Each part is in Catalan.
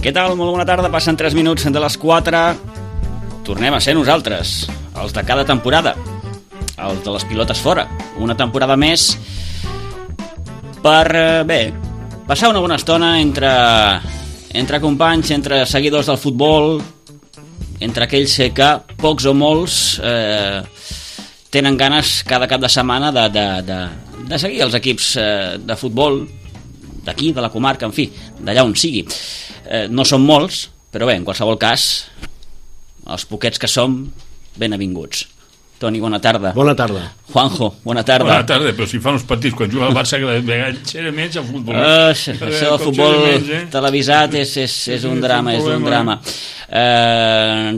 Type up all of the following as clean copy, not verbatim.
Què tal? Molt bona tarda. Passen 3 minuts de les 4. Tornem a ser nosaltres, els de cada temporada, els de les pilotes fora. Una temporada més per, passar una bona estona entre companys, entre seguidors del futbol, entre aquells que, pocs o molts, tenen ganes cada cap de setmana de seguir els equips de futbol d'aquí, de la comarca, en fi, d'allà on sigui. No són molts, però bé, en qualsevol cas, els poquets que som, ben avinguts. Toni, bona tarda. Bona tarda. Juanjo, bona tarda. Bona tarda, però si fan uns partits quan juga al Barça que de menys el futbol. Això del futbol televisat és un drama, és un drama.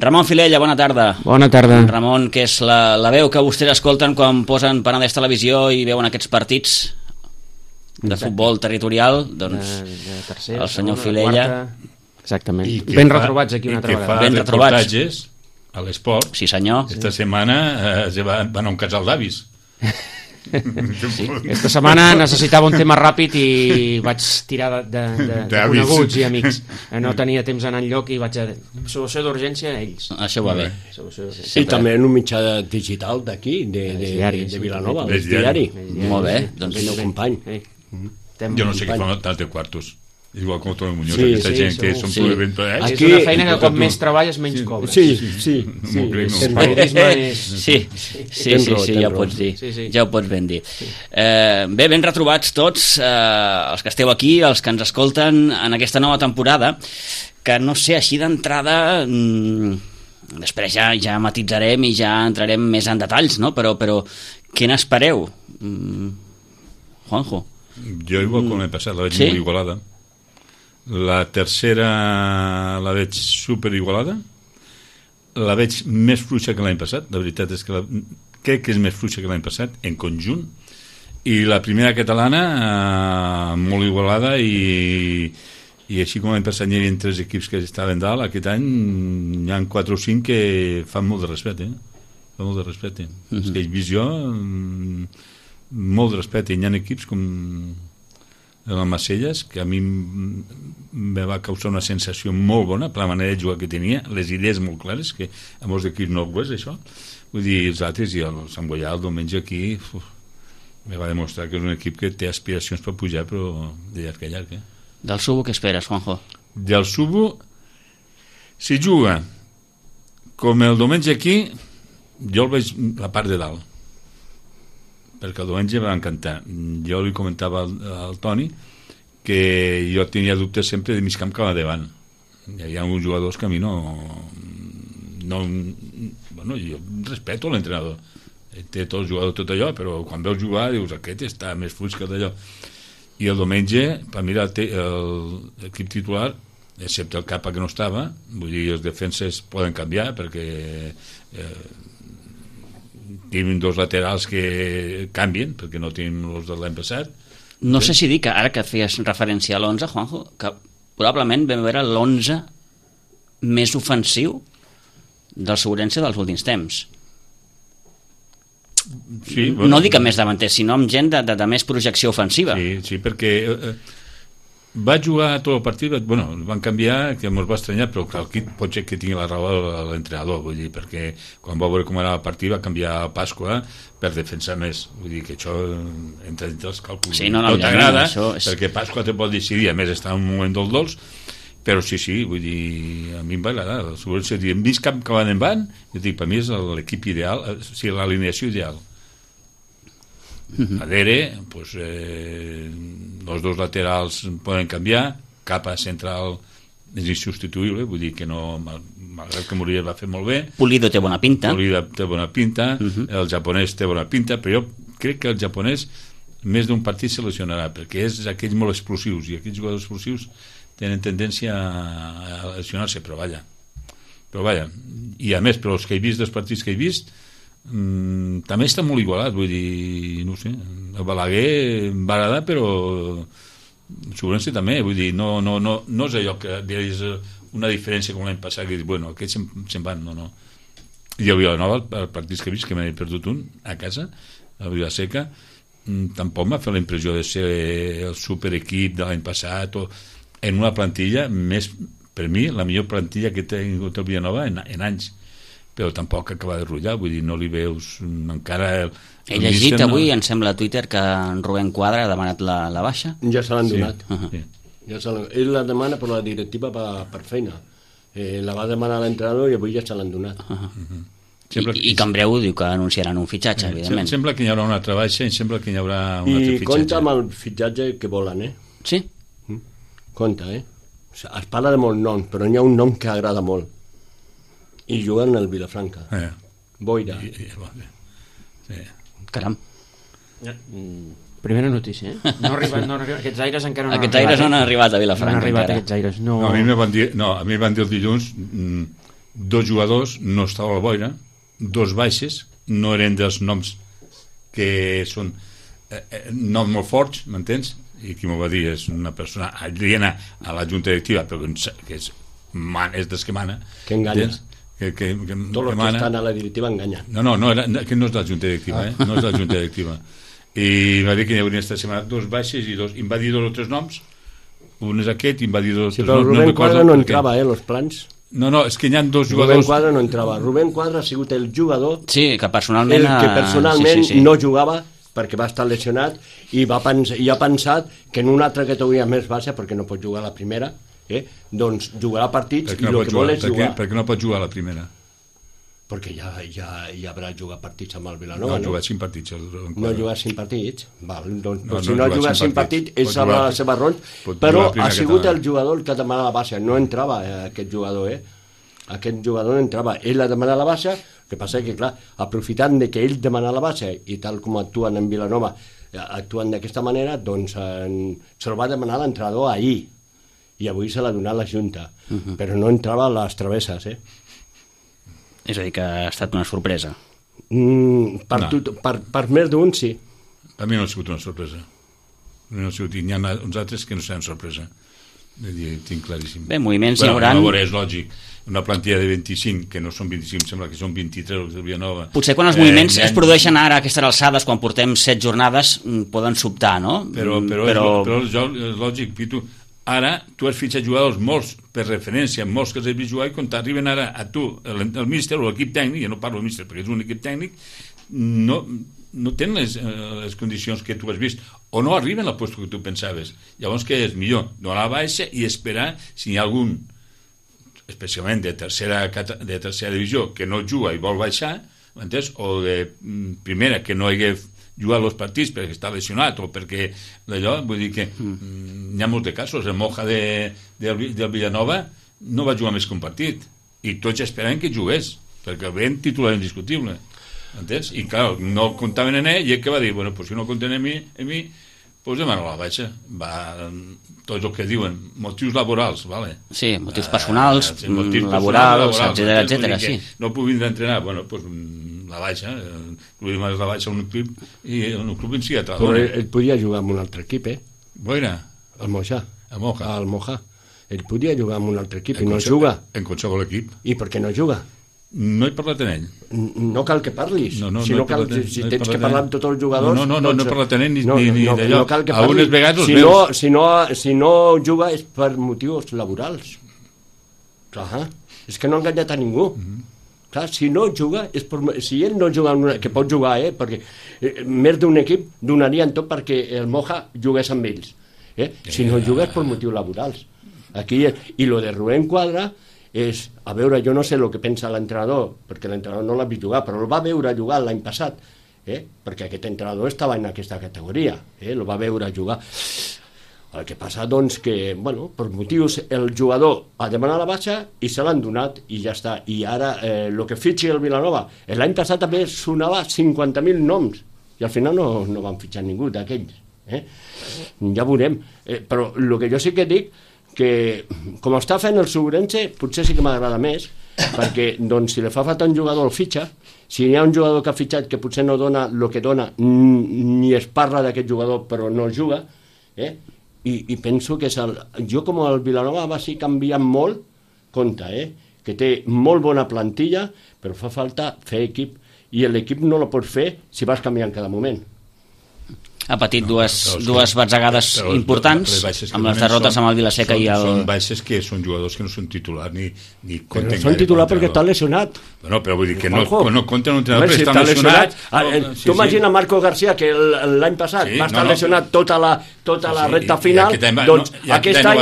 Ramon Filella, bona tarda. Bona tarda. Ramon, que és la veu que vostès escolten quan posen Penedès Televisió i veuen aquests partits de futbol territorial, doncs de tercera, el senyor segona, Filella. Quarta. Exactament. Ben retrobats aquí una altra vegada. Ben retrobats a l'esport. Sí, senyor. Esta setmana van a un casal d'avis. Sí. Aquesta setmana necessitava un tema ràpid i vaig tirar de coneguts i amics. No tenia temps d'anar enlloc i vaig a... Solució d'urgència a ells. Això va bé. I també en un mitjà digital d'aquí, de Vilanova, el diari. Molt bé. Doncs el meu company. Jo no sé què fan tants de quartos. Igual com Toni Muñoz, aquesta gent que són provent... És una feina que com més treballes menys cobres. Sí. El periodisme és... Sí, ja ho pots dir. Ja ho pots ben dir. Bé, ben retrobats tots, els que esteu aquí, els que ens escolten en aquesta nova temporada, que no sé, així d'entrada... Després ja matitzarem i ja entrarem més en detalls, no? Però què n'espereu? Juanjo. Jo igual com l'any passat, la veig molt igualada. La tercera la veig super igualada, la veig més fluixa que l'any passat, la veritat és que crec que és més fluixa que l'any passat en conjunt, i la primera catalana molt igualada i així com l'any passat hi havia 3 equips que estaven dalt, aquest any hi ha 4 o 5 que fan molt de respecte, fan molt de respecte. És que he vist jo molt de respecte, hi ha equips com el Macelles, que a mi me va causar una sensació molt bona per la manera de jugar que tenia, les idees molt clares, que a molts equips no ho és, això. Vull dir, els altres, i el Sant Boià el diumenge aquí me va demostrar que és un equip que té aspiracions per pujar, però de llarg a llarg. Del Subo què esperes, Juanjo? Del Subo, si juga com el diumenge aquí, jo el veig la part de dalt, perquè el diumenge va encantar. Jo li comentava al Toni que jo tenia dubtes sempre de mig camp cap davant. Hi havia uns jugadors que a mi no bueno, jo respeto l'entrenador, té tot el jugador tot allò, però quan veus jugar dius aquest està més fluix que d'allò. I el diumenge per mi l'equip titular, excepte el Capa que no estava, vull dir, els defenses poden canviar perquè tenim 2 laterals que canvien perquè no tenim els de l'any passat. No sé si dir que ara que feies referència a l'11, Juanjo, que probablement vam veure l'11 més ofensiu del Segurense dels últims temps. Sí, bueno, no dic amb més davanters, sinó amb gent de més projecció ofensiva. Sí, perquè va jugar tot el partit, bueno, van canviar, que ens va estranyar, però aquí pot ser que tingui la raó l'entrenador, vull dir, perquè quan va veure com era el partit va canviar a Pasqua per defensar més, vull dir que això entre els càlculs no t'agrada, és... perquè Pasqua te pot decidir, a més està en un moment del dolç, però sí, vull dir, a mi em va agradar, hem vist cap que van en van, jo dic, per mi és l'equip ideal, o sigui, l'alineació ideal. Adere, pues, els 2 laterals poden canviar, Capa central és insubstituïble, vull dir que no, malgrat que Muriel va fer molt bé, Pulido té bona pinta, el japonès té bona pinta, però jo crec que el japonès més d'un partit se lesionarà, perquè és aquells molt explosius, i aquells jugadors explosius tenen tendència a lesionar-se, però vaja, i a més, però els que he vist, dels partits que he vist, també està molt igualat, vull dir, no sé, el Balaguer va agradar, però Segurense també, vull dir, no és allò que és una diferència com l'any passat, que dius, bueno, aquests se'n van, no. I el Vilanova, els partits que he vist, que m'he perdut un a casa, a Vilaseca, tampoc m'ha fet la impressió de ser el superequip de l'any passat, o en una plantilla més per mi, la millor plantilla que té el Villanova en anys, però tampoc acaba de rotllar, vull dir, no li veus encara... He llegit avui, em sembla a Twitter, que en Rubén Quadra ha demanat la baixa. Ja se l'han donat. Sí. Ell la demana per la directiva per feina. La va demanar l'entrenador i avui ja se l'han donat. I que en breu diu que anunciaran un fitxatge, evidentment. Sembla que hi haurà una altra baixa i sembla que hi haurà un altre fitxatge. I compta amb el fitxatge que volen, Sí? Compte, Es parla de molts noms, però n'hi ha un nom que agrada molt. I juguen al Vilafranca. Boira. Sí. Caram. Primera notícia, No arriba, aquests aires encara no han arribat. Aquests aires no han arribat a Vilafranca. No han arribat aquests aires, no. A mi em van dir el dilluns, 2 jugadors no estava a la boira, 2 baixes, no eren dels noms que són noms molt forts, m'entens? I qui m'ho va dir és una persona aliena a la junta directiva, però que és dels que mana. Que enganya. Que tots els que estan a la directiva enganyen. No, que no és de la junta directiva, no és de la junta directiva. I va dir que hi hauria esta setmana 2 baixes i 2, i em va dir 2 o 3 noms, un és aquest i em va dir 2 o 3 noms. Però Rubén Quadra no entrava, los plans. No, és que hi ha 2 jugadors. Rubén Quadra no entrava. Rubén Quadra ha sigut el jugador que personalment sí. No jugava perquè va estar lesionat i ha pensat que en una altra categoria més baixa, perquè no pot jugar a la primera, doncs jugarà partits i el que vol és jugar. Per què no pot jugar a la primera? Perquè ja haurà jugat partits amb el Vilanova. No, ha jugat 5 partits. No ha jugat 5 partits? Val, doncs si no ha jugat 5 partits, ell sabrà les seves raons, però ha sigut el jugador que ha demanat la baixa. No entrava aquest jugador, Aquest jugador no entrava. Ell ha demanat la baixa, el que passa que, clar, aprofitant de que ell demana la baixa i tal com actuen en Vilanova, actuen d'aquesta manera, doncs se'l va demanar l'entrenador ahir i avui se l'ha donat la Junta, però no entrava a les travesses, És a dir, que ha estat una sorpresa. Per més d'un, sí. A mi no ha sigut una sorpresa. N'hi ha uns altres que no seran sorpresa. Tinc claríssim. Bé, moviments hi haurà... És lògic. Una plantilla de 25, que no són 25, sembla que són 23 els de Villanova. Potser quan els moviments es produeixen ara a aquestes alçades, quan portem 7 jornades, poden sobtar, no? Però és lògic, Pitu. Ara tu has fitxat jugadors molts per referència, molts que els has vist jugar, i quan t'arriben ara a tu, el míster o l'equip tècnic, jo no parlo del míster perquè és un equip tècnic, no tenen les condicions que tu has vist, o no arriben al lloc que tu pensaves. Llavors què és millor? Donar la baixa i esperar si hi ha algun, especialment de tercera divisió, que no juga i vol baixar, m'entens? O de primera, que no hagi jugar els partits perquè està lesionat o perquè d'allò, vull dir que n'hi ha molts de casos. El Moja del Villanova no va jugar més que un partit i tots esperaven que jugués perquè el ben titular indiscutible, entens? I clar, no comptaven en ell i ell que va dir, bueno, pues si no compten en mi pues demano la baixa. Tots el que diuen, motius laborals, vale? Sí, motius personals, laborals, etcètera, sí. No puc vindre a entrenar, bueno, pues la baixa, la baixa a un club i un club en si però ell podia jugar amb un altre equip, Boira? El Moja. El Moja. Ell podia jugar amb un altre equip i no juga. En qualsevol equip. I per què no juga? No he parlat en ell. No cal que parlis. Si tens que parlar amb tots els jugadors... No he parlat en ell ni d'allò. No cal que parlis. Algunes vegades si no juga és per motius laborals. Clar, és que no ha enganyat a ningú. Clar, si no juga, si ell no juga, que pot jugar, perquè més d'un equip donarien tot perquè el Moja jugués amb ells. Si no juga és per motius laborals. I lo de Rubén Quadra és, a veure, jo no sé el que pensa l'entrenador, perquè l'entrenador no l'ha vist jugar, però el va veure jugar l'any passat, perquè aquest entrenador estava en aquesta categoria, el va veure jugar. El que passa, doncs, que, bueno, per motius el jugador ha demanat la baixa i se l'han donat i ja està. I ara, el que fitxi el Vilanova, l'any passat també sonava 50.000 noms i al final no van fitxar ningú d'aquells. Ja veurem. Però el que jo sí que dic que com està fent el Segurense potser sí que m'agrada més perquè doncs, si li fa falta un jugador el fitxa, si hi ha un jugador que ha fitxat que potser no dona el que dona ni es parla d'aquest jugador però no juga, i penso que jo com el Vilanova va ser canviant molt, compte, que té molt bona plantilla però fa falta fer equip i l'equip no la pots fer si vas canviant cada moment. ha patit dues batzegades importants, amb les derrotes amb el Vilaseca i el... Són baixes que són jugadors que no són titulars ni compten gaire. No són titulars perquè està lesionat. Bueno, però vull dir que no compten un entrenador perquè està lesionat. Tu imagina Marco García, que l'any passat va estar lesionat tota la recta final, doncs aquest any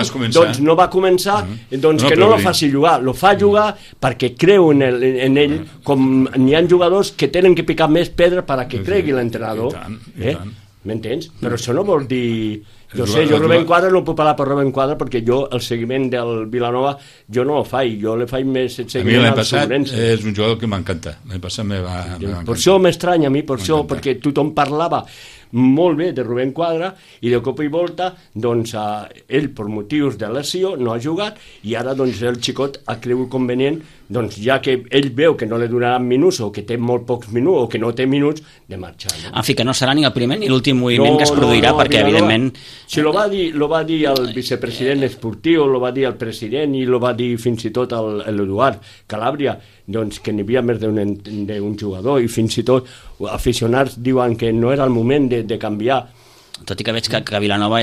no va començar, doncs que no lo faci jugar, lo fa jugar perquè creu en ell, com n'hi ha jugadors que tenen que picar més pedra perquè cregui l'entrenador. M'entens? Però això no vol dir... Jo Rubén Quadra no puc parlar per Rubén Quadra perquè jo el seguiment del Vilanova jo no el faig, jo le faig més el seguiment al Sobrense. A mi l'any passat és un jugador que m'encanta, l'any passat me va encantar. Per això m'estranya a mi, per això, perquè tothom parlava molt bé de Rubén Quadra i de cop i volta doncs ell per motius de lesió no ha jugat i ara doncs el xicot ha cregut convenient doncs ja que ell veu que no li donaran minuts o que té molt pocs minuts o que no té minuts de marxar. En fi, que no serà ni el primer ni l'últim moviment que es produirà perquè evidentment... Si lo va dir el vicepresident esportiu, lo va dir el president i lo va dir fins i tot l'Eduard Calàbria, doncs que n'hi havia més d'un jugador i fins i tot aficionats diuen que no era el moment de canviar. Tot i que veig que Vilanova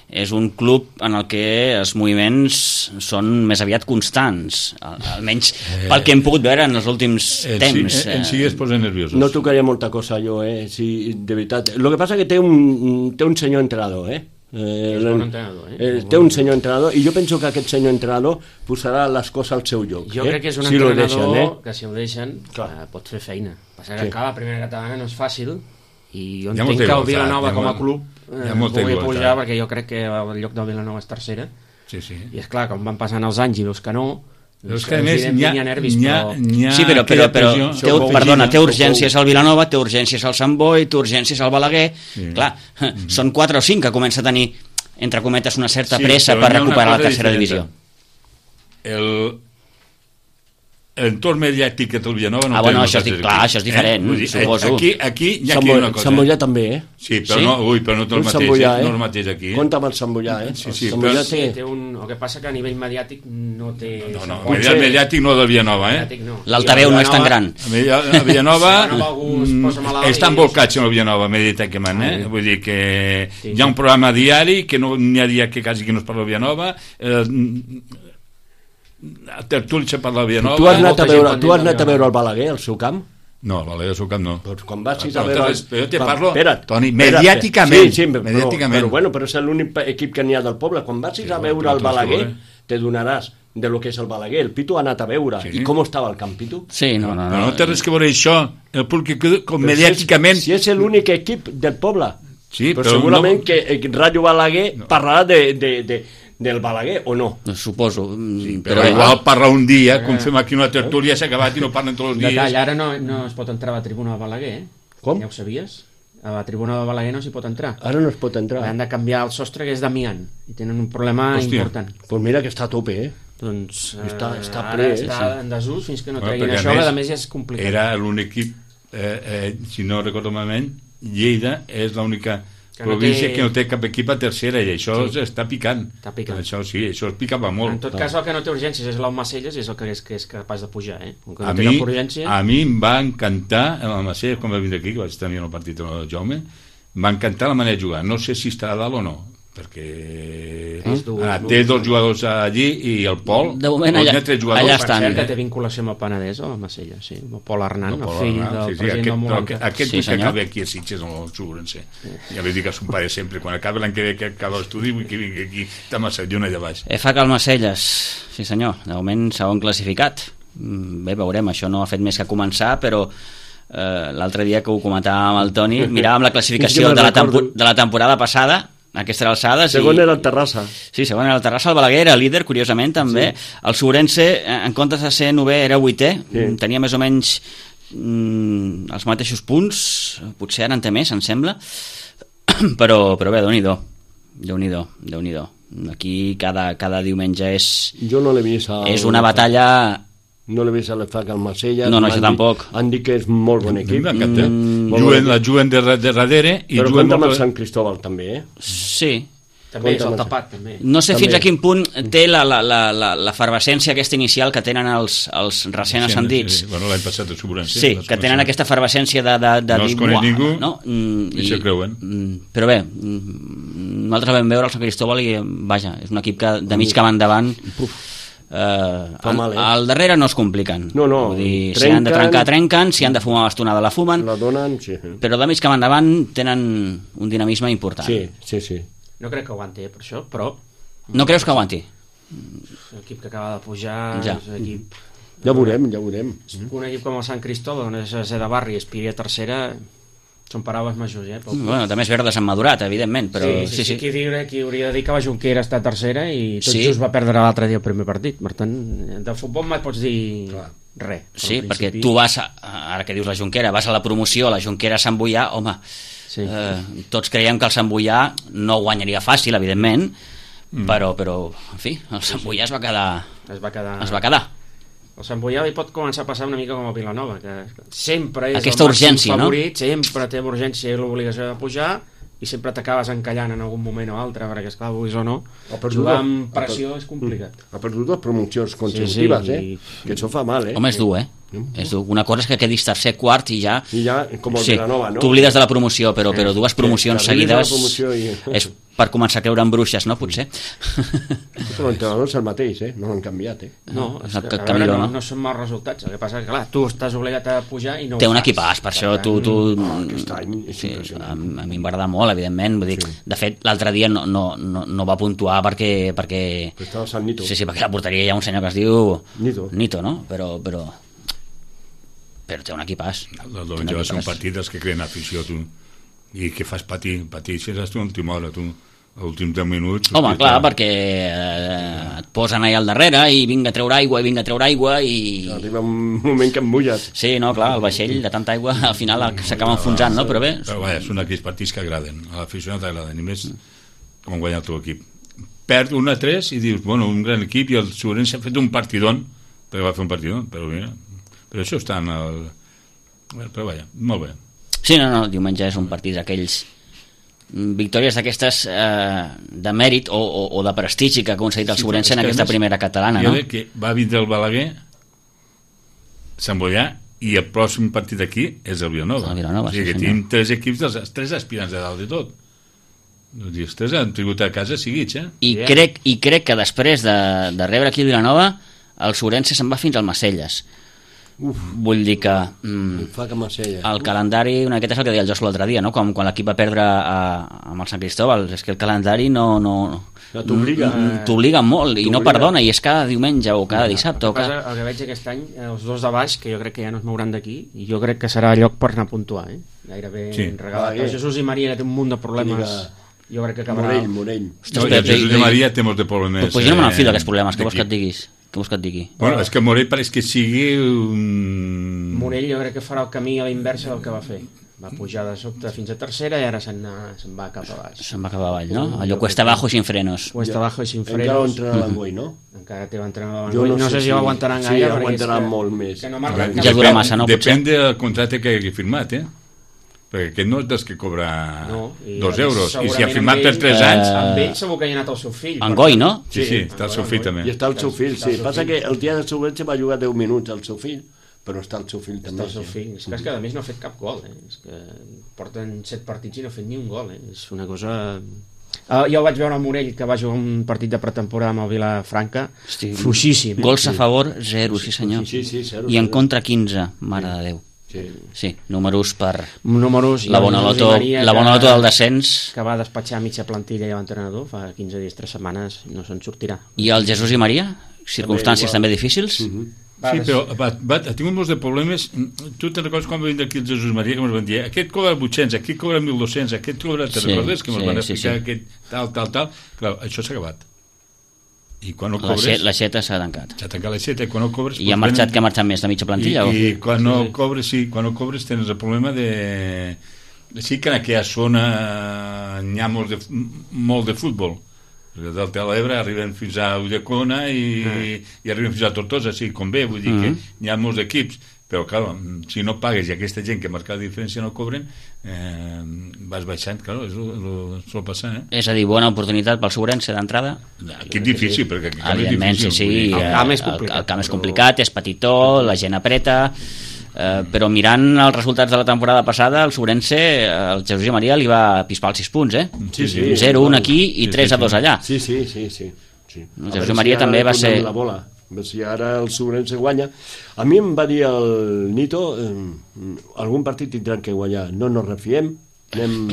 és un club en el que els moviments són més aviat constants, almenys pel que hem pogut veure en els últims temps. En si es posa nerviosos. No tocaria molta cosa jo, sí, de veritat. Lo que passa que té un senyor entrenador, té un senyor entrenador i jo penso que aquest senyor entrenador posarà les coses al seu lloc. Jo crec que és un entrenador que si el deixen pot fer feina. Passa que la primera catalana no és fàcil i jo entenc que el Vilanova com a club pugui pujar perquè jo crec que el lloc del Vilanova és tercera i és clar, com van passant els anys i veus que no, és que a més hi ha nervis, sí, però té urgències al Vilanova, té urgències al Sant Boi, té urgències al Balaguer, clar, són 4 o 5 que comença a tenir entre cometes una certa pressa per recuperar la tercera divisió. L'entorn mediàtic que té el Vilanova no té això és diferent, suposo. Aquí hi ha una cosa. Sant Boià també, Sí, però no té el mateix aquí. Compte amb el Sant Boià, Sí, el que passa que a nivell mediàtic no té... No, a nivell mediàtic no del Vilanova, L'altaveu no és tan gran. A Vilanova estan volcats en el Vilanova mediàticament, vull dir que hi ha un programa diari que no n'hi ha dia que quasi que no es parla del Vilanova, a Tertulli se parla de Vilanova. Tu has anat a veure el Balaguer, al seu camp? No, el Balaguer al seu camp no. Doncs quan vas a veure... Però jo te parlo, Toni, mediàticament. Sí, però és l'únic equip que n'hi ha del poble. Quan vas a veure el Balaguer, te donaràs de lo que és el Balaguer. El Pitu ha anat a veure. I com estava el camp, Pitu? Sí, no. No té res que veure això, el públic mediàticament... Si és l'únic equip del poble. Sí, però segurament que Rayo Balaguer parlarà del Balaguer o no? Suposo. Però igual parla un dia, com fem aquí una tertúlia, s'ha acabat i no parlen tots els dies. Detall, ara no es pot entrar a la tribuna de Balaguer, Com? Ja ho sabies? A la tribuna de Balaguer no s'hi pot entrar. Ara no es pot entrar. Han de canviar el sostre, que és d'amiant, i tenen un problema important. Doncs mira que està a tope, Doncs està ple, està en desús fins que no treguin això, que a més ja és complicat. Era l'únic equip, si no recordo malament, Lleida és l'única província que no té cap equip a tercera i això està picant. Això sí, això es picava molt. En tot cas, el que no té urgències és l'Almacelles, és el que és capaç de pujar, A mi em va encantar l'Almacelles, quan va vindre aquí, que vaig tenir el partit amb el Jaume, em va encantar la manera de jugar. No sé si estarà dalt o no, perquè té 2 jugadors allí i el Pol, de moment allà estan. Per cert, que té vinculació amb el Penedès o amb Macella, sí, amb el Pol Arnant, el fill del president del Molanta. Aquest que acaba aquí a Sitges amb el Sobrense, ja li dic a son pare sempre, quan acaba l'any que ve que acaba l'estudi vull que vingui aquí a Macellona allà baix. FK Almacelles, sí senyor, de moment segon classificat. Bé, veurem, això no ha fet més que començar, però l'altre dia que ho comentàvem amb el Toni, miràvem la classificació de la temporada passada, aquestes alçades. Segon era el Terrassa. Sí, segon era el Terrassa. El Balaguer era líder, curiosament, també. El Sobrense, en comptes de ser 9è, era 8è. Tenia més o menys els mateixos punts. Potser ara en té més, em sembla. Però bé, Déu-n'hi-do. Aquí cada diumenge és... Jo no l'he vist. És una batalla... No l'he vist a l'EFAC al Marsella. No, jo tampoc. Han dit que és molt bon equip. La juguen de darrere. Però compta amb el Sant Cristóbal també, Sí. També és el tapat, també. No sé fins a quin punt té l'efervescència aquesta inicial que tenen els recent ascendits. Bueno, l'any passat de Sobrense. Sí, que tenen aquesta efervescència de no els coneix ningú, no? I se creuen. Però bé, nosaltres vam veure el Sant Cristóbal i, vaja, és un equip que de mig camp endavant... al darrere no es compliquen. No, vull dir, si han de trencar, trenquen, si han de fumar bastonada la fumen, la donen, sí. Però de mig camp endavant tenen un dinamisme important. Sí. No crec que aguanti, per això, però... No creus que aguanti? L'equip que acaba de pujar és un equip... Ja veurem. Un equip com el Sant Cristóbal, on és de barri i aspiri a tercera, són paraules majors, Bueno, també és verdes han madurat, evidentment, però... Sí. Qui hauria de dir que la Junquera està a tercera i tot just va perdre l'altre dia el primer partit. Per tant, del futbol mai pots dir res. Sí, perquè tu vas, ara que dius la Junquera, vas a la promoció, la Junquera a Sant Boià, home... Sí. Tots creiem que el Sant Boià no guanyaria fàcil, evidentment, però en fi, el Sant Boià es va quedar. El Sant Boià li pot començar a passar una mica com a Vilanova, que sempre és aquesta el urgència, favorit, no? Sempre té urgència i l'obligació de pujar, i sempre t'acabes encallant en algun moment o altre, perquè esclar, vulguis o no, jugar amb pressió és complicat. Ha perdut 2 promocions consecutives, que això fa mal, Home, és dur, és dur. Una cosa és que quedis tercer, quart i ja com el Vilanova, no? T'oblides de la promoció, però 2 promocions seguides és per començar a creure en bruixes, no? Potser. Però l'entrenador és el mateix, no l'han canviat, No, no són mals resultats. El que passa és que, clar, tu estàs obligat a pujar i no ho fas. Té un equipàs, per això tu... Aquest any és impressionant. A mi em va agradar molt, evidentment. Vull dir, de fet, l'altre dia no va puntuar perquè... Estava a Sant Nito. Sí, perquè a la porteria hi ha un senyor que es diu... Nito, no? Però té un equipàs. El diumenge va ser un partit dels que creen afició, tu. I que fas patir si eres tu a l'última hora, tu. A l'últims 10 minuts... Home, clar, perquè et posen allà al darrere i vinga a treure aigua i... Arriba un moment que em mulles. Sí, no, clar, el vaixell de tanta aigua al final s'acaba enfonsant, no? Però bé... Però vaja, són aquells partits que agraden, a l'aficionat agraden, i més com guanyar el teu equip. Perd 1-3 i dius, bueno, un gran equip, i el Sobrense ha fet un partidón, perquè va fer un partidón, però mira... Però això està en el... Però vaja, molt bé. Sí, no, diumenge és un partit d'aquells... victòries d'aquestes de mèrit o de prestigi que ha aconseguit el Sobrense en aquesta primera catalana, no? Jo crec que va vindre el Balaguer, Sant Boià, i el pròxim partit aquí és el Vilanova. O sigui que tenim 3 equips, els 3 aspirants de dalt de tot. Els 3 han trigut a casa seguits, I crec que després de rebre aquí el Vilanova, el Sobrense se'n va fins al Macelles. Vull dir que el calendari, aquest és el que deia el Josu l'altre dia, no? Quan l'equip va perdre amb el Sant Cristóbal, és que el calendari no t'obliga molt i no perdona, i és cada diumenge o cada dissabte el que veig aquest any, els 2 de baix, que jo crec que ja no es mouran d'aquí, i jo crec que serà lloc per anar a puntuar, gairebé regalat. El Jesús i Maria, que té un munt de problemes, jo crec que acabarà... Morell. El Jesús i Maria té molts de problemes. Pues jo no me n'enfilo d'aquests problemes, què vols que et diguis? Què vols que et digui? Bueno, és que Morell pareix que sigui un... Morell jo crec que farà el camí a la inversa del que va fer. Va pujar de sobte fins a tercera i ara se'n va cap a baix. Se'n va cap a avall, no? Allò cuesta abajo i sin frenos. Cuesta abajo i sin frenos. Encara l'entrenador l'Angoi, no? Encara té l'entrenador l'Angoi. No sé si ho aguantaran gaire. Sí, aguantaran molt més. Ja dura massa, no? Depèn del contracte que hagi firmat, perquè aquest no és dels que cobra 2 euros, i si ha firmat per 3 anys... Amb ell segur que hi ha anat el seu fill. Angoi, no? Sí, està el seu fill també. I està el seu fill, sí. Passa que el dia del Sobrense va jugar 10 minuts el seu fill, però està el seu fill també. Està el seu fill. És que a més no ha fet cap gol, És que porten 7 partits i no ha fet ni un gol, És una cosa... Jo el vaig veure al Morell, que va jugar un partit de pretemporada amb el Vilafranca, fluixíssim. Gols a favor, 0, sí senyor. I en contra 15, mare de Déu. Sí, números per la bona loto del descens, que va despatxar mitja plantilla i l'entrenador fa 15 dies, 3 setmanes, no se'n sortirà. I el Jesús i Maria? Circumstàncies també difícils? Sí, però ha tingut molts de problemes. Tu te'n recordes quan va vindre aquí el Jesús Maria, que ens van dir, aquest cobra 800, aquest cobra 1.200, aquest cobra... Te'n recordes? Que ens van explicar aquest tal. Clar, això s'ha acabat. I quan no cobres... L'aixeta s'ha tancat. S'ha tancat l'aixeta, i quan no cobres... I ha marxat més de mitja plantilla? I quan no cobres tens el problema de... Sí que en aquella zona n'hi ha molt de futbol. Del Delta de l'Ebre arriben fins a Ulldecona i arriben fins a Tortosa, sí, com bé, vull dir que n'hi ha molts equips. però clar, si no pagues i aquesta gent que marca la diferència no cobren, vas baixant, clar, sol passar, És a dir, bona oportunitat pel Sobrense d'entrada. Aquí és difícil, perquè aquí evidentment, és difícil. Sí, el camp és complicat, és petitó, la gent apreta, però mirant els resultats de la temporada passada, el Sobrense, el Jesús Maria li va pispar els 6 punts, Sí. 0-1 aquí i 3-2 allà. Sí. El Jesús Maria també va ser... La bola. Si ara el Sobrense guanya, a mi em va dir el Nito, algun partit tindran que guanyar, no ens refiem, anem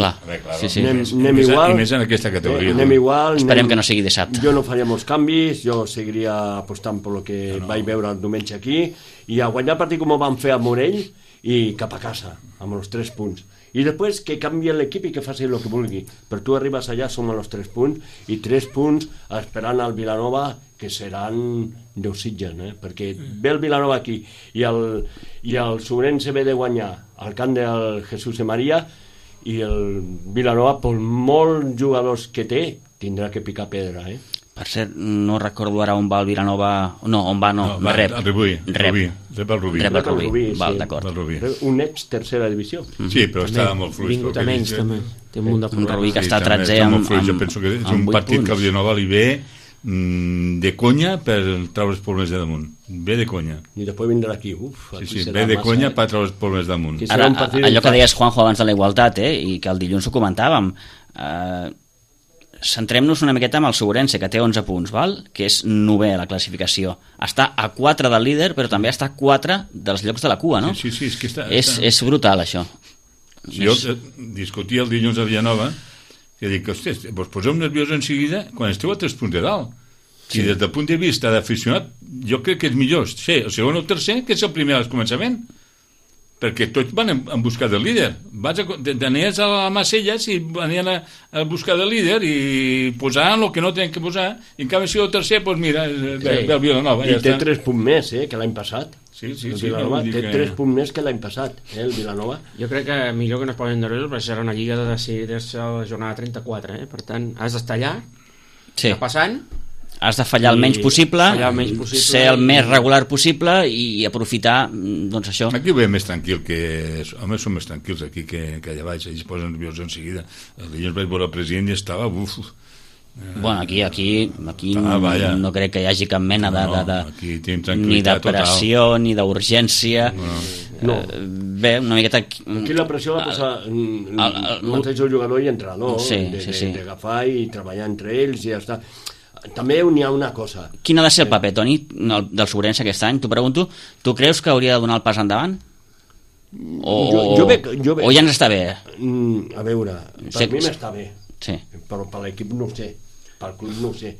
igual, i més en aquesta categoria, anem igual, esperem que no sigui dissabte. Jo no faria molts canvis, jo seguiria apostant per el que vaig veure el diumenge aquí, i a guanyar el partit com ho van fer a Morell i cap a casa, amb els 3 punts. I després que canvi l'equip i que faci el que vulgui, però tu arribes allà, som a els 3 punts, i 3 punts esperant al Vilanova, que seran Déu sitgen, perquè ve el Vilanova aquí i el Sobrense ve de guanyar al camp del Jesús de Maria, i el Vilanova, per molts jugadors que té, tindrà que picar pedra, Per cert, no recordo ara on va el Vilanova... rep el Rubí. Val, d'acord. Un ex tercera divisió. Sí, però estava molt fluix. Vingut a menys, també. Té un munt de un Rubí que està 13 amb 8 punts. Jo penso que és un partit que el Vilanova li ve de conya per treure els problemes de damunt. Ve de conya. I després vindrà aquí. Ve de conya per treure els problemes damunt. Ara, allò que deies, Juanjo, abans de la igualtat, i que el dilluns ho comentàvem, centrem-nos una miqueta amb el Sobrense, que té 11 punts, val? Que és 9è a la classificació. Està a 4 del líder, però també està a 4 dels llocs de la cua, no? Sí, és que està... És brutal, això. Jo discutia el dilluns a Vilanova, que dic, hòstia, vos poseu nerviós en seguida quan esteu a 3 punts de dalt. I des del punt de vista d'aficionat, jo crec que és millor ser el segon o el tercer que és el primer al començament, perquè tots van en busca del líder. Anies a la Macelles i anien a buscar del líder i posaven el que no tenen que posar, i en canvi si el tercer, doncs mira, del Vilanova. I té 3 punts més que l'any passat. Sí, té 3 punts més que l'any passat, el Vilanova. Jo crec que millor que no es posin nerviosos, perquè serà una lliga de decidir-se a la jornada 34, per tant, has d'estar allà, passant, has de fallar el menys possible, ser el més regular possible i aprofitar, doncs això. Aquí ho veiem més tranquil, home, som més tranquils aquí que allà baix, ells posen nerviosos en seguida. El dilluns vaig veure el president i estava bueno, aquí no crec que hi hagi cap mena ni de pressió ni d'urgència. Bé, una miqueta aquí la pressió la posa el mateix jugador i entrenador, d'agafar i treballar entre ells i ja està. També n'hi ha una cosa. Quin ha de ser el paper, Toni, del Sobrense aquest any? T'ho pregunto. Tu creus que hauria de donar el pas endavant? O ja ens està bé? A veure, per mi m'està bé, però per l'equip no ho sé, pel club no ho sé.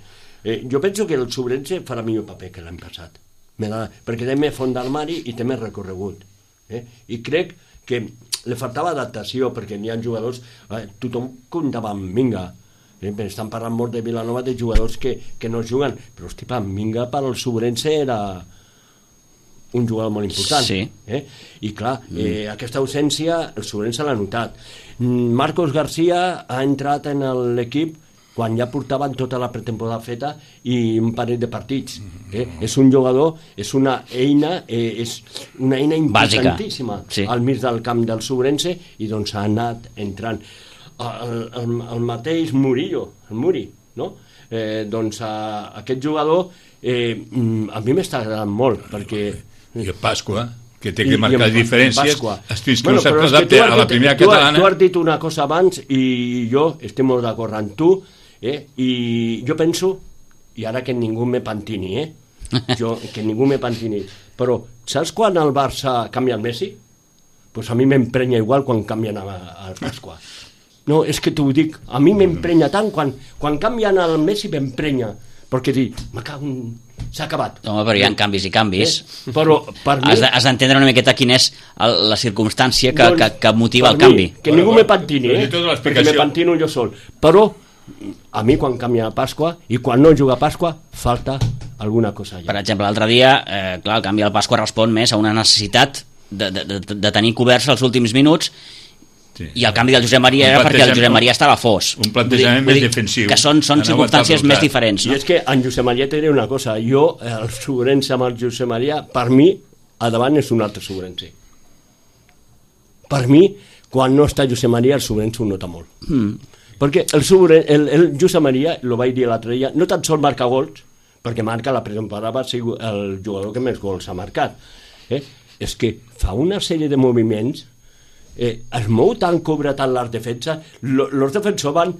Jo penso que el Sobrense farà millor paper que l'any passat, perquè té més fons d'armari i té més recorregut, i crec que li faltava adaptació, perquè n'hi ha jugadors, tothom comptava amb Minga, estan parlant molt de Vilanova, de jugadors que no juguen, però hosti, Minga per al Sobrense era un jugador molt important, i clar, aquesta ausència el Sobrense l'ha notat. Marcos García ha entrat en l'equip quan ja portaven tota la pretemporada feta i un parell de partits. És un jugador, és una eina importantíssima al mig del camp del Sobrense, i doncs ha anat entrant. El mateix Murillo, el Muri, no? Doncs aquest jugador a mi m'està agradant molt, perquè... I el Pasqua, que té que marcar diferències, fins que no s'adapta a la primera catalana. Tu has dit una cosa abans i jo estic molt d'acord amb tu, i jo penso, i ara que ningú me pantini, que ningú me pantini, però saps quan el Barça canvia el Messi? Doncs a mi m'emprenya igual quan canvien el Pasqua. No, és que t'ho dic, a mi m'emprenya tant, quan canvien el Messi m'emprenya, perquè dic, s'ha acabat. Home, però hi ha canvis i canvis. Però per mi... Has d'entendre una miqueta quina és la circumstància que motiva el canvi. Que ningú me pantini, perquè me pantino jo sol. Però a mi quan canvia Pasqua i quan no juga Pasqua falta alguna cosa allà. Per exemple, l'altre dia, clar, el canvi del Pasqua respon més a una necessitat de tenir coberts els últims minuts. I el canvi del Josep Maria era perquè el Josep Maria estava fos. Un plantejament més defensiu. Que són circumstàncies més diferents. I és que en Josep Maria té una cosa, jo, el Sobrense amb el Josep Maria, per mi, a davant és un altre Sobrense. Per mi, quan no està Josep Maria, el Sobrense ho nota molt. Perquè el Josep Maria, lo vaig dir l'altre dia, no tan sol marca gols, perquè marca la pretemporada, va ser el jugador que més gols ha marcat. És que fa una sèrie de moviments, es mou tant, cobra tant les defenses, els defensors van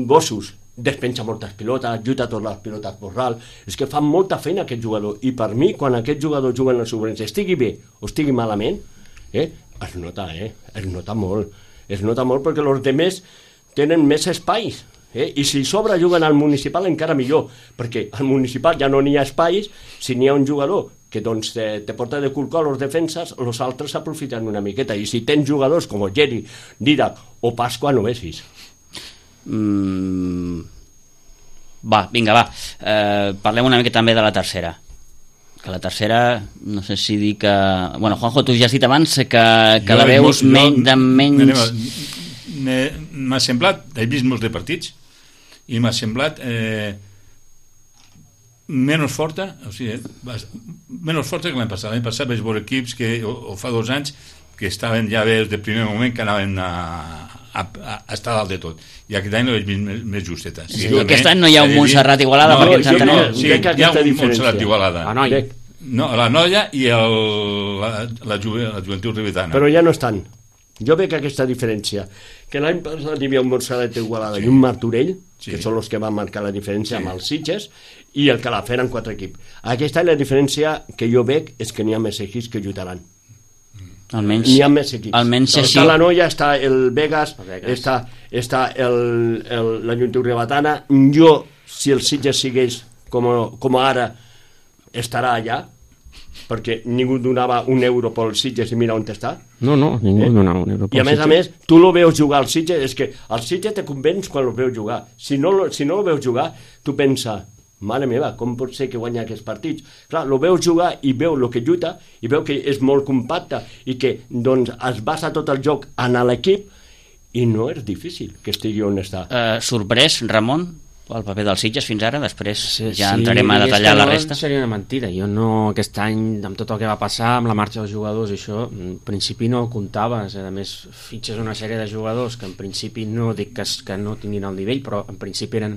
gossos, despenja moltes pilotes, ajuda totes les pilotes por ral, és que fan molta feina aquest jugador, i per mi, quan aquest jugador juga en el Sobrense, estigui bé o estigui malament, es nota molt perquè els demés tenen més espais, i si sobre juguen al municipal encara millor, perquè al municipal ja no n'hi ha espais, si n'hi ha un jugador que doncs te porta de cul a les defenses, els altres s'aprofiten una miqueta, i si tens jugadors com Geri, Didac o Pasqua, no vessis. Vinga, parlem una mica també de la tercera, que la tercera, no sé si dir que... Bueno, Juanjo, tu ja has dit abans que la veus menys... M'ha semblat, he vist molts de partits, i m'ha semblat menys forta, o sigui, menys forta que l'any passat. L'any passat vaig veure equips que, o fa 2 anys, que estaven ja bé des del primer moment, que anaven a estar dalt de tot, i aquest any no veig més justeta. Sí, aquest any no hi ha un Montserrat Igualada, perquè ens entenem. Sí, hi ha un Montserrat Igualada, la Noia i la Joventut Ribetana, però ja no estan. Jo veig aquesta diferència, que l'any passat hi havia un Montserrat Igualada i un Martorell, que són els que van marcar la diferència amb els Sitges, i el Calafell en 4 equips. Aquest any la diferència que jo veig és que n'hi ha més equips que lluitaran. N'hi ha més equips. Està la Noia, està el Vegas, està la Joventut Ribetana. Jo, si el Sitges sigués com ara, estarà allà, perquè ningú donava un euro pel Sitges i mira on està. No, ningú donava un euro pel Sitges. I a més, tu lo veus jugar al Sitges, és que al Sitges te convenç quan lo veus jugar. Si no lo veus jugar, tu pensa, mare meva, com pot ser que guanya aquests partits? Clar, lo veus jugar i veu el que lluita, i veu que és molt compacte, i que doncs es basa tot el joc en l'equip, i no és difícil que estigui on està. Sorprès, Ramon, el paper dels Sitges fins ara, després ja entrarem a detallar la resta. Seria una mentida, jo no, aquest any, amb tot el que va passar, amb la marxa dels jugadors i això, en principi no comptava, a més fitxes una sèrie de jugadors que en principi no dic que no tinguin el nivell, però en principi eren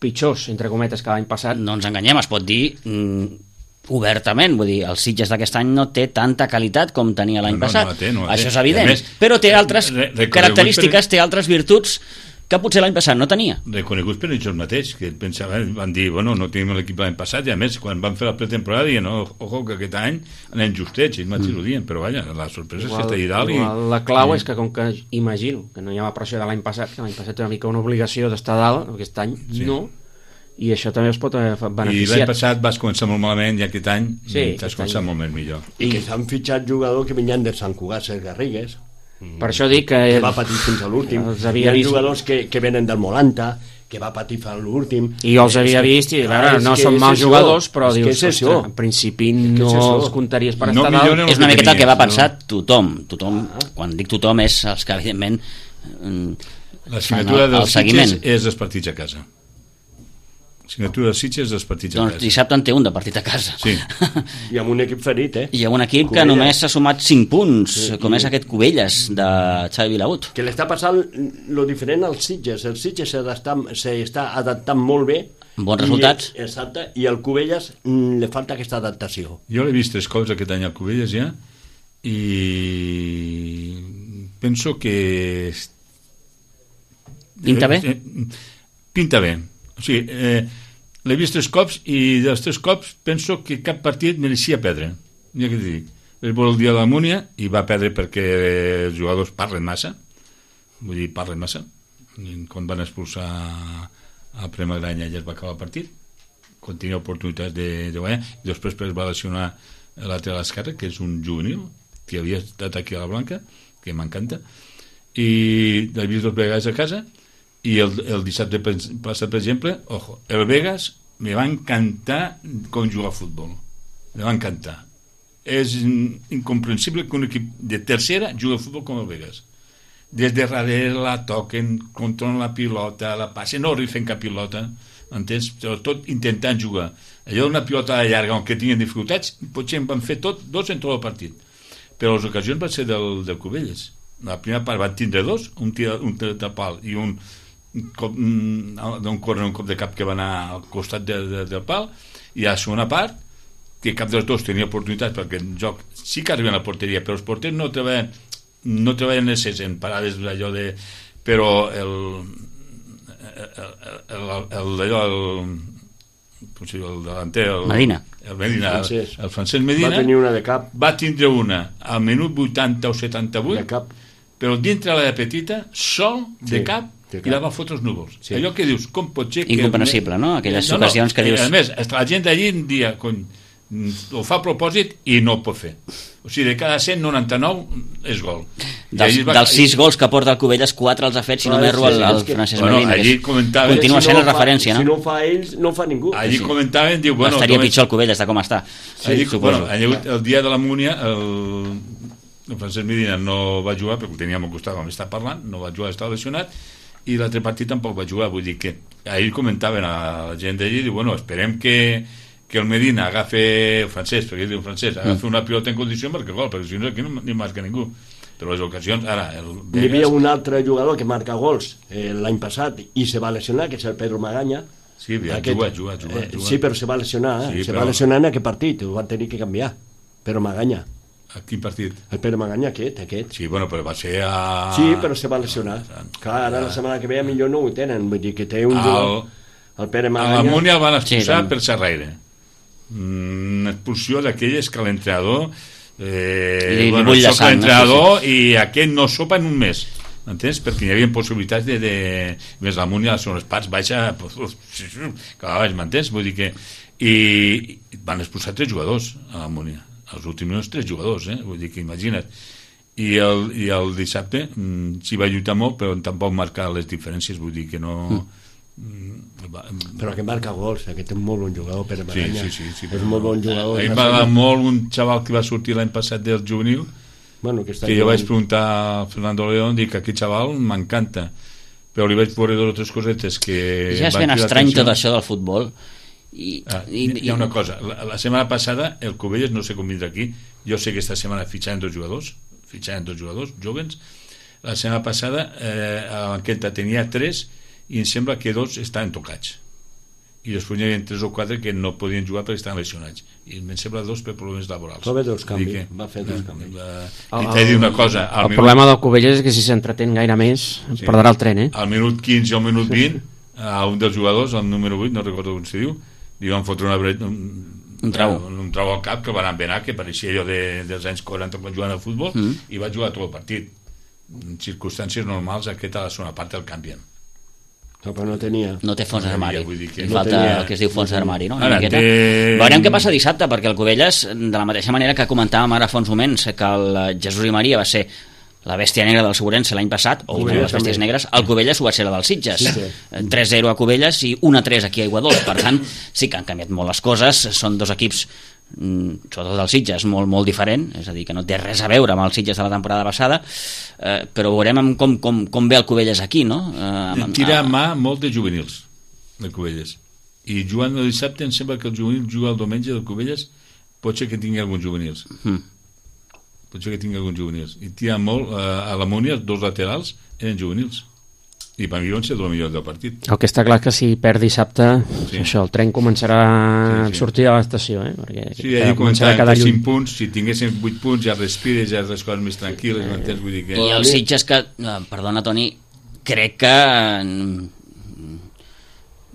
pitjors, entre cometes, que l'any passat. No ens enganyem, es pot dir obertament, vull dir, el Sitges d'aquest any no té tanta qualitat com tenia l'any passat. No això és evident, però té altres característiques, té altres virtuts que potser l'any passat no tenia. Reconeguts per ells mateix, que pensaven, van dir, bueno, no tenim l'equip l'any passat, i a més, quan van fer la pretemporada, diuen, ojo, que aquest any anem justets, ells mateixos ho diuen, però vaja, la sorpresa és que està allà dalt. La clau és que, com que imagino que no hi ha pressió de l'any passat, que l'any passat era una mica una obligació d'estar dalt, aquest any no, i això també es pot beneficiar. I l'any passat vas començar molt malament, i aquest any t'has començat molt més millor. I que s'han fitxat jugadors que venien de Sant Cugat, Cesc Garrigues, per això dic que va patir fins a l'últim. Hi ha jugadors que venen del Molanta, que va patir fins a l'últim, i jo els havia vist i no són mals jugadors, però dius, en principi no els comptaries per estar dalt. És una miqueta el que va pensar tothom, quan dic tothom és els que evidentment la signatura dels Sitges és els partits a casa. Signatura de Sitges dels partits a casa. Doncs dissabte en té un de partit a casa. Sí. I amb un equip ferit, I amb un equip que només s'ha sumat 5 punts, com és aquest Cubelles de Xavi Vilagut. Que l'està passant lo diferent als Sitges. El Sitges s'està adaptant molt bé. Bons resultats. Exacte, i al Cubelles li falta aquesta adaptació. Jo l'he vist 3 cops aquest any al Cubelles ja, i penso que pinta bé? Pinta bé. O sigui, l'he vist 3 cops i dels 3 cops penso que cap partit mereixia perdre. Ja que t'hi dic, és el dia de la Múnia i va perdre perquè els jugadors parlen massa, vull dir, parlen massa. Quan van expulsar a Premagranya ja es va acabar el partit, quan tenia oportunitats de guanyar, i després es va lesionar l'altre a l'esquerra, que és un juvenil que havia estat aquí a la Blanca, que m'encanta, i l'he vist 2 vegades a casa. I el dissabte passat, per exemple, ojo, el Vegas me va encantar com jugar a futbol. Me va encantar. És incomprensible que un equip de tercera jugui a futbol com el Vegas. des de darrere la toquen, controlen la pilota, la passen, no rifen cap pilota, entens? Tot intentant jugar. Allò una pilota llarga on que tinguin dificultats, potser en van fer dos en tot el partit. Però les ocasions van ser del Cubelles. La primera part van tindre dos, un tir de pal i un cop de cap que va anar al costat del pal, i a la segona part que cap dels dos tenia oportunitats, perquè el joc sí que arriben a la porteria, però els porters no treballen en parades d'allò de... però el delanter, el Francesc Medina va tindre una al minut 80 o 78 però dintre la petita sol de cap i la va fotre els núvols. Allò que dius, com pot ser que... Incomprensible, no? Aquelles ocasions que dius... A més, la gent d'allí un dia ho fa a propòsit i no ho pot fer. O sigui, de cada 199 és gol. Dels 6 gols que porta el Cubelles, 4 els ha fet, si no m'erro, el Francesc Medina. Continua sent la referència, no? Si no ho fa ells, no ho fa ningú. Allí comentaven, diu... Estaria pitjor el Cubelles, de com està. El dia de la Múnia, el Francesc Medina no va jugar, perquè ho teníem al costat, vam estar parlant, no va jugar, estava lesionat, i l'altre partit tampoc va jugar. Vull dir que ahir comentaven a la gent d'allí, diu, esperem que el Medina agafi, el francès, perquè ell diu francès, agafi una pilota en condició perquè gol, perquè si no aquí no ni marca ningú. Però les ocasions, ara... Hi havia un altre jugador que marca gols l'any passat i se va lesionar, que és el Pedro Maganya. Sí, juga. Sí, però se va lesionar, va lesionar en aquest partit, ho van tenir que canviar. Pedro Maganya. A quin partit? El Pere Maganya, aquest. Sí, però va ser a... Sí, però se va lesionar. Clar, ara la setmana que ve millor no ho tenen, vull dir que té un jugador... El Pere Maganya... A la Múnia el van expulsar per xerraire. Una expulsió d'aquelles que l'entrenador... soc l'entrenador i aquest no sopa en un mes. Entens? Perquè hi havia possibilitats de... Més la Múnia, les segones parts, baixa... Cada vegada m'entens? Vull dir que... I van expulsar 3 jugadors a la Múnia. Els últims 3 jugadors, vull dir que imagina't. I el dissabte s'hi va lluitar molt, però tampoc marcar les diferències, vull dir que no... Però que marca gols, aquest és molt bon jugador, Pere Maganya. Sí, és molt bon jugador. Ahir va dar molt un xaval que va sortir l'any passat del juvenil, que jo vaig preguntar a Fernando León, dic que aquest xaval m'encanta, però li vaig veure 2 o 3 cosetes que... Ja és ben estrany tot això del futbol. Hi ha una cosa, la setmana passada el Cubelles, no sé com vindrà aquí, jo sé que esta setmana fitxaran 2 jugadors jóvens. La setmana passada a la banqueta tenia 3 i em sembla que 2 estaven tocats i després hi havia 3 o 4 que no podien jugar perquè estaven lesionats i em sembla 2 per problemes laborals. Va fer 2 canvis. I t'he dit una cosa, el problema del Cubelles és que si s'entretén gaire més perdrà el tren. Al minut 15 o al minut 20 a un dels jugadors, el número 8, no recordo com s'hi diu, li van fotre un trau al cap que el van envenar, que pareixia allò dels anys 40 quan juguen al futbol, i va jugar tot el partit. En circumstàncies normals aquesta a la segona part el canvien. Però no tenia... No té fons d'armari. Falta el que es diu fons d'armari, no? Veurem què passa dissabte, perquè el Cubelles, de la mateixa manera que comentàvem ara fa uns moments que el Jesús i Maria va ser la bèstia negra del Segurense l'any passat, o una de les bèsties negres, el Cubelles ho va ser la dels Sitges. 3-0 a Cubelles i 1-3 aquí a Aiguadols. Per tant, sí que han canviat molt les coses, són 2 equips, sobretot el Sitges, molt, molt diferent, és a dir, que no té res a veure amb els Sitges de la temporada passada, però veurem com ve el Cubelles aquí, no? Tira a mà molt de juvenils, de Cubelles. I jugant el dissabte em sembla que el juvenil juga el diumenge del Cubelles, pot ser que tingui alguns juvenils. Potser que tingui alguns juvenils. I tira molt, a la Múnia, els 2 laterals eren juvenils. I per mi van ser el millor del partit. El que està clar que si perd dissabte, això, el tren començarà a sortir de l'estació, perquè començarà a quedar 5 punts, si tinguessin 8 punts ja respires, ja les coses més tranquil·les, vull dir que... I els Sitges que, perdona Toni, crec que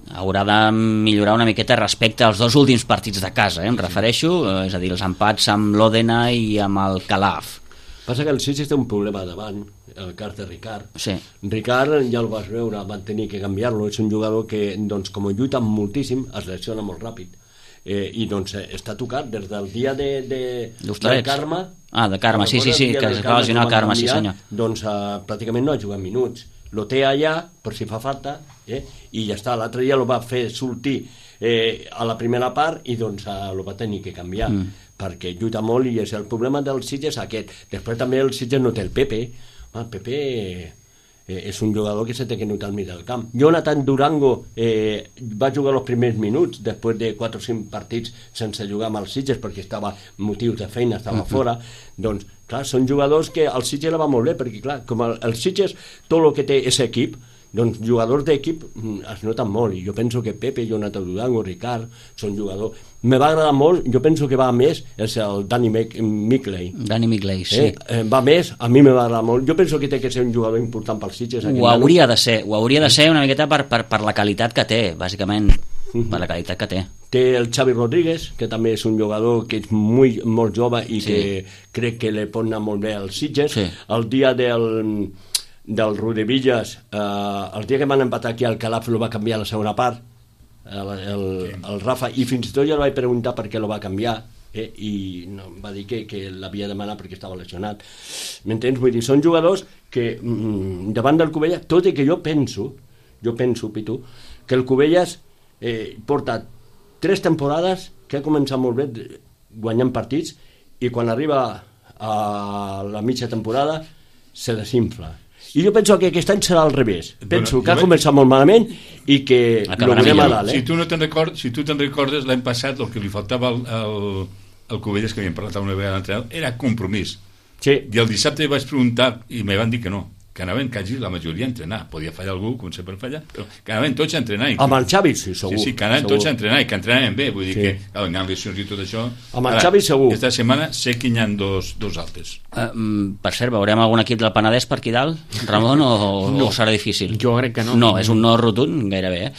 haurà de millorar una miqueta respecte als 2 últims partits de casa, em refereixo, és a dir, els empats amb l'Òdena i amb el Calaf. Passa que el Sitges té un problema davant, el cas de Ricard. Sí. Ricard, ja el vas veure, van tenir que canviar-lo, és un jugador que, doncs, com lluita moltíssim, es lesiona molt ràpid. I doncs està tocat des del dia de Carme. De Carme, sí, que es va lesionar el Carme, sí senyor. Doncs pràcticament no ha jugat minuts. Lo té allà, per si fa falta, i ja està. L'altre dia lo va fer sortir a la primera part i doncs lo va tenir que canviar, perquè lluita molt i és el problema del Sitges aquest. Després també el Sitges no té el Pepe, Pepe és un jugador que se té que notar al mig del camp. Jonathan Durango va jugar els primers minuts després de 4 o 5 partits sense jugar amb els Sitges perquè estava motius de feina, estava fora. Doncs, clar, són jugadors que el Sitges la va molt bé perquè, clar, com el Sitges, tot el que té és equip, doncs jugadors d'equip es noten molt, i jo penso que Pepe, Jonathan Durango, Ricard són jugadors. Me va agradar molt, jo penso que va més és el Danny Mickley. Danny Mickley, sí. Va més, a mi me va agradar molt. Jo penso que té que ser un jugador important pels Sitges. Ho hauria de ser una miqueta per la qualitat que té, bàsicament, per la qualitat que té. Té el Xavi Rodríguez, que també és un jugador que és molt jove i que crec que li pot anar molt bé als Sitges. El dia del Rodevillas, el dia que van empatar aquí al Calaf lo va canviar a la segona part, el Rafa, i fins i tot jo li vaig preguntar per què lo va canviar, i no, va dir que l'havia demanat perquè estava lesionat. M'entens? Vull dir, són jugadors que davant del Cubelles, tot i que jo penso, Pitu, que el Cubelles porta 3 temporades que ha començat molt bé guanyant partits, i quan arriba a la mitja temporada se desinfla. I jo penso que aquest any serà al revés. Penso que ha començat molt malament i que lo veurem a dalt. Si tu te'n recordes, l'any passat el que li faltava al Cubelles, que havíem parlat una vegada a l'entrenador, era compromís. Sí. I el dissabte vaig preguntar i me van dir que no, que anaven quasi la majoria a entrenar. Podia fallar algú, com sempre falla, però que anaven tots a entrenar. Amb el Xavi, sí, segur. Sí, que anaven tots a entrenar i que entrenaven bé. Vull dir que, amb lesions i tot això... Amb el Xavi, segur. Aquesta setmana sé que hi ha dos altes. Per cert, veurem algun equip del Penedès per aquí dalt, Ramon, o serà difícil? Jo crec que no. No, és un no rotund, gairebé,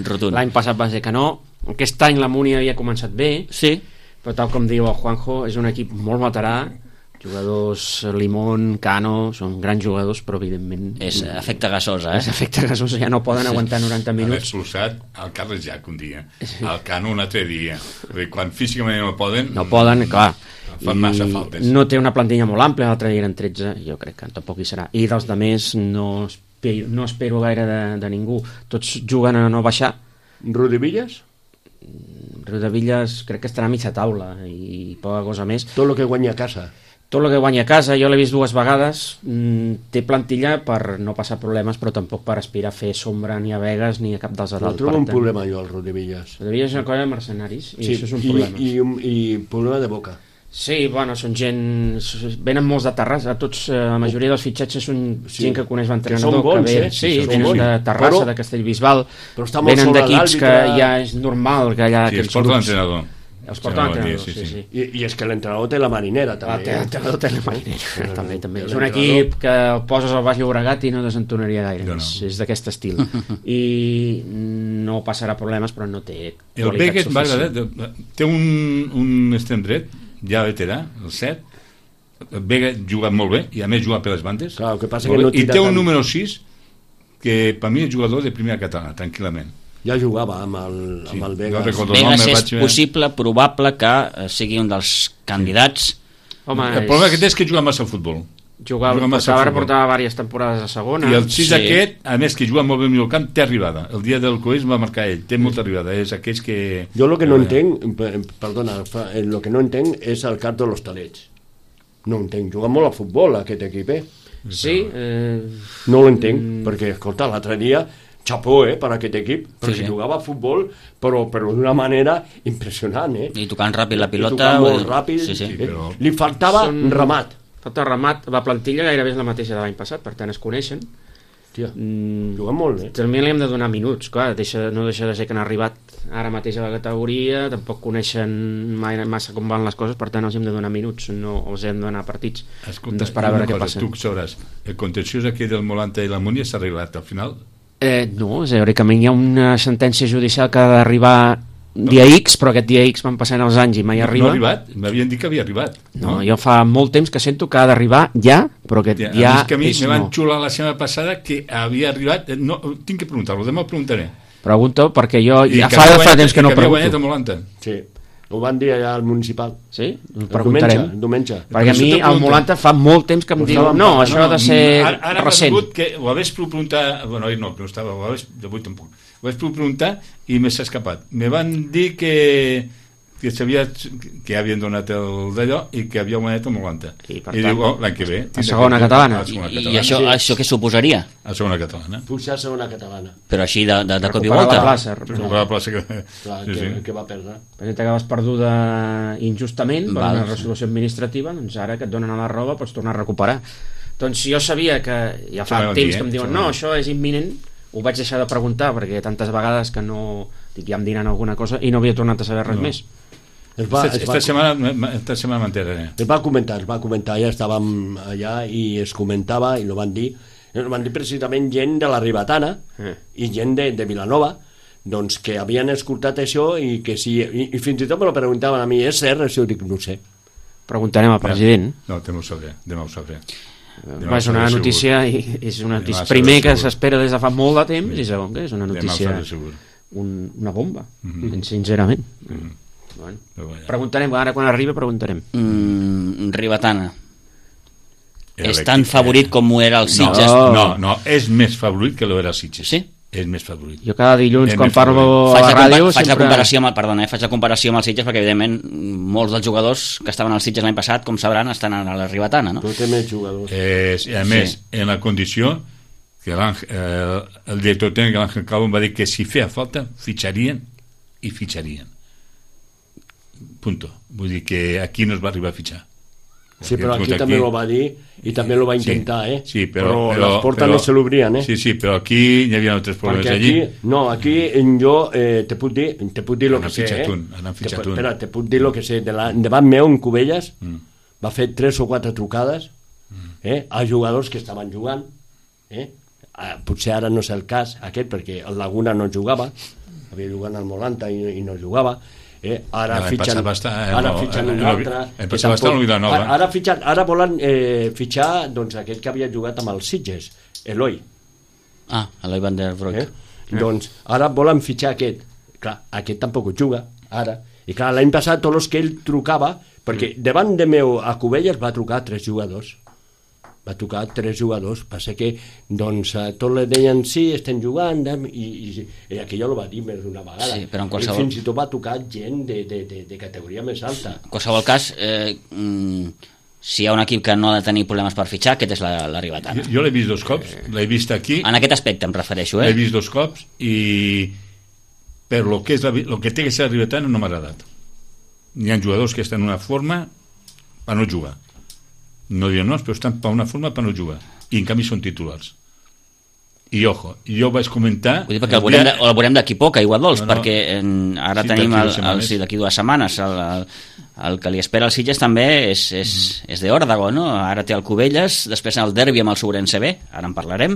Rotund. L'any passat va ser que no. Aquest any la Múnia havia començat bé. Sí. Però tal com diu el Juanjo, és un equip molt veterà. Jugadors Limón, Cano, són grans jugadors, però evidentment... És efecte gasosa, És efecte gasosa, ja no poden aguantar 90 minuts. Haver expulsat el Carles Jack un dia, el Cano un altre dia. Quan físicament no poden... No poden, clar. Fan massa faltes. No té una plantilla molt àmplia, l'altre dia eren 13, jo crec que tampoc hi serà. I dels demés no espero gaire de ningú. Tots juguen a no baixar. Rodevillas? Rodevillas crec que estarà a mitja taula i poca cosa més. Tot el que guanya a casa. Tot el que guanya a casa, jo l'he vist 2 vegades, té plantilla per no passar problemes, però tampoc per aspirar a fer sombra ni a Vegas ni a cap dels altres. Trobo un problema jo, el Rodevillas. Rodevillas és una cosa de mercenaris, i això és un problema. I problema de boca. Sí, bueno, són gent... Venen molts de Terrassa, la majoria dels fitxatges són gent que coneix l'entrenador. Que són bons, Sí, venen de Terrassa, de Castellbisbal, venen d'equips que ja és normal que allà... Sí, es porta l'entrenador. Els porta l'entrenador, sí. I és que l'entrenador té la marinera, també. L'entrenador té la marinera, també. És un equip que el poses al Baix Llobregat i no desentonaria gaire. És d'aquest estil. I no passarà problemes, però no té qualitat suficient. Té un extrem dret, ja veterà, el 7. Vega juga molt bé, i a més juga per les bandes. Clar, el que passa que no i té un número 6 que per mi és jugador de primera catalana, tranquil·lament. Ja jugava amb el Vegas. Vegas és possible, probable que sigui un dels candidats. Home, el problema que té és que juga massa al futbol. Portava diverses temporades a segona. I el 6 aquest, a més que juga molt bé al camp, té arribada. El dia del Coeix va marcar ell, té molta arribada. És aquells que... Jo el que no entenc, perdona, el que no entenc és el cap de l'Hostalets. No entenc, juga molt al futbol aquest equip, Sí. No l'entenc, perquè, escolta, l'altre dia... Chapó, per aquest equip, perquè jugava a futbol, però d'una manera impressionant, I tocant ràpid la pilota. I tocant molt ràpid. Però... Li faltava remat. Falta remat. La plantilla gairebé és la mateixa de l'any passat, per tant es coneixen. Hòstia, juguen molt bé. També li hem de donar minuts, clar, no deixa de ser que han arribat ara mateix a la categoria, tampoc coneixen massa com van les coses, per tant els hem de donar minuts, no els hem de donar partits. Escolta, d'esperar a veure què passa. Tu sabràs, el contenciós aquí del Molanta i la Múnia s'ha arreglat al final? No, teòricament hi ha una sentència judicial que ha d'arribar dia X, però aquest dia X van passant els anys i mai arriba. No ha arribat? M'havien dit que havia arribat. No, jo fa molt temps que sento que ha d'arribar ja, però aquest ja és que a mi me van xular la setmana passada que havia arribat. No, tinc que preguntar-lo, demà el preguntaré. Pregunto, perquè jo ja fa temps que no pregunto. I que havia guanyat el Molanta. Sí. Ho van dir allà al municipal. Sí? Ho preguntarem. Diumenge. Perquè a mi el Molanta fa molt temps que em diu no, això ha de ser recent. Ara m'ha vingut que ho hagués preguntat... Bueno, no estava, avui tampoc. Ho hagués preguntat i m'he escapat. Me van dir que que sabia que havien donat el d'allò i que havia guanyat el 90 i diu, l'any que ve a segona catalana. I això què suposaria? A segona catalana. Pujar a segona catalana, però així de cop i volta recuperar la plaça que va perdre, perquè t'acabes perduda injustament per una resolució administrativa, doncs ara que et donen a la roba pots tornar a recuperar. Doncs jo sabia que ja fa temps que em diuen no, això és imminent, ho vaig deixar de preguntar perquè tantes vegades que no dic ja em diran alguna cosa i no havia tornat a saber res més. Esta setmana m'enteraré. Es va comentar, ja estàvem allà i es comentava i lo van dir precisament gent de la Ribatana i gent de Vilanova, doncs que havien escoltat això i que sí, i fins i tot me lo preguntaven a mi, és cert això? Dic, no sé. Preguntarem al president. No, demà ho sabré. És una notícia i és una notícia primer que s'espera des de fa molt de temps i segon que és una notícia una bomba, sincerament. Bueno, preguntarem, ara quan arribi preguntarem. Ribatana és tan favorit com ho era el Sitges? No, és més favorit que lo era el Sitges. Sí? És més favorit. Jo cada dilluns quan parlo a la ràdio faig la comparació amb el Sitges perquè evidentment molts dels jugadors que estaven al Sitges l'any passat, com sabran, estan a la Ribatana, no? Però té més jugadors. I a més, en la condició que el director tècnic l'Àngel Calvo va dir que si feia falta fitxarien. Punto. Vull dir que aquí no es va arribar a fitxar. Sí, però aquí també ho va dir i també ho va intentar, Sí, però les portes no se l'obrien, Sí, però aquí hi havia altres problemes allí. Aquí jo te puc dir lo que sé, Espera, te puc dir lo que sé. Davant meu, en Cubelles, va fer 3 o 4 trucades a jugadors que estaven jugant. Potser ara no és el cas aquest, perquè el Laguna no jugava, havia jugat al Molanta i no jugava. Ara fitxen un altre, ara volen fitxar doncs aquest que havia jugat amb els Sitges, Eloi van der Broek, doncs ara volen fitxar aquest. Clar, aquest tampoc juga ara, i clar, l'any passat tots els que ell trucava, perquè davant de meu a Cubelles va trucar 3 jugadors, passa que doncs tots li deien sí, estem jugant i aquí jo ho va dir més d'una vegada, sí, però en qualsevol... fins i tot va tocar gent de categoria més alta. En qualsevol cas, si hi ha un equip que no ha de tenir problemes per fitxar, aquest és la Ribatana. Jo l'he vist 2 cops, l'he vist aquí, en aquest aspecte em refereixo, l'he vist 2 cops i per lo que té que ser la Ribatana no m'ha agradat. Hi ha jugadors que estan en una forma per no jugar, no diuen no, però estan per una forma per no jugar i en canvi són titulars. I ojo, jo vaig comentar, vull dir, perquè el veurem d'aquí poc a Iguadols, perquè ara tenim d'aquí 2 setmanes el que li espera al Sitges també és d'Òrdago, no? Ara té el Cubelles, després el derbi amb el Sobrense B, ara en parlarem,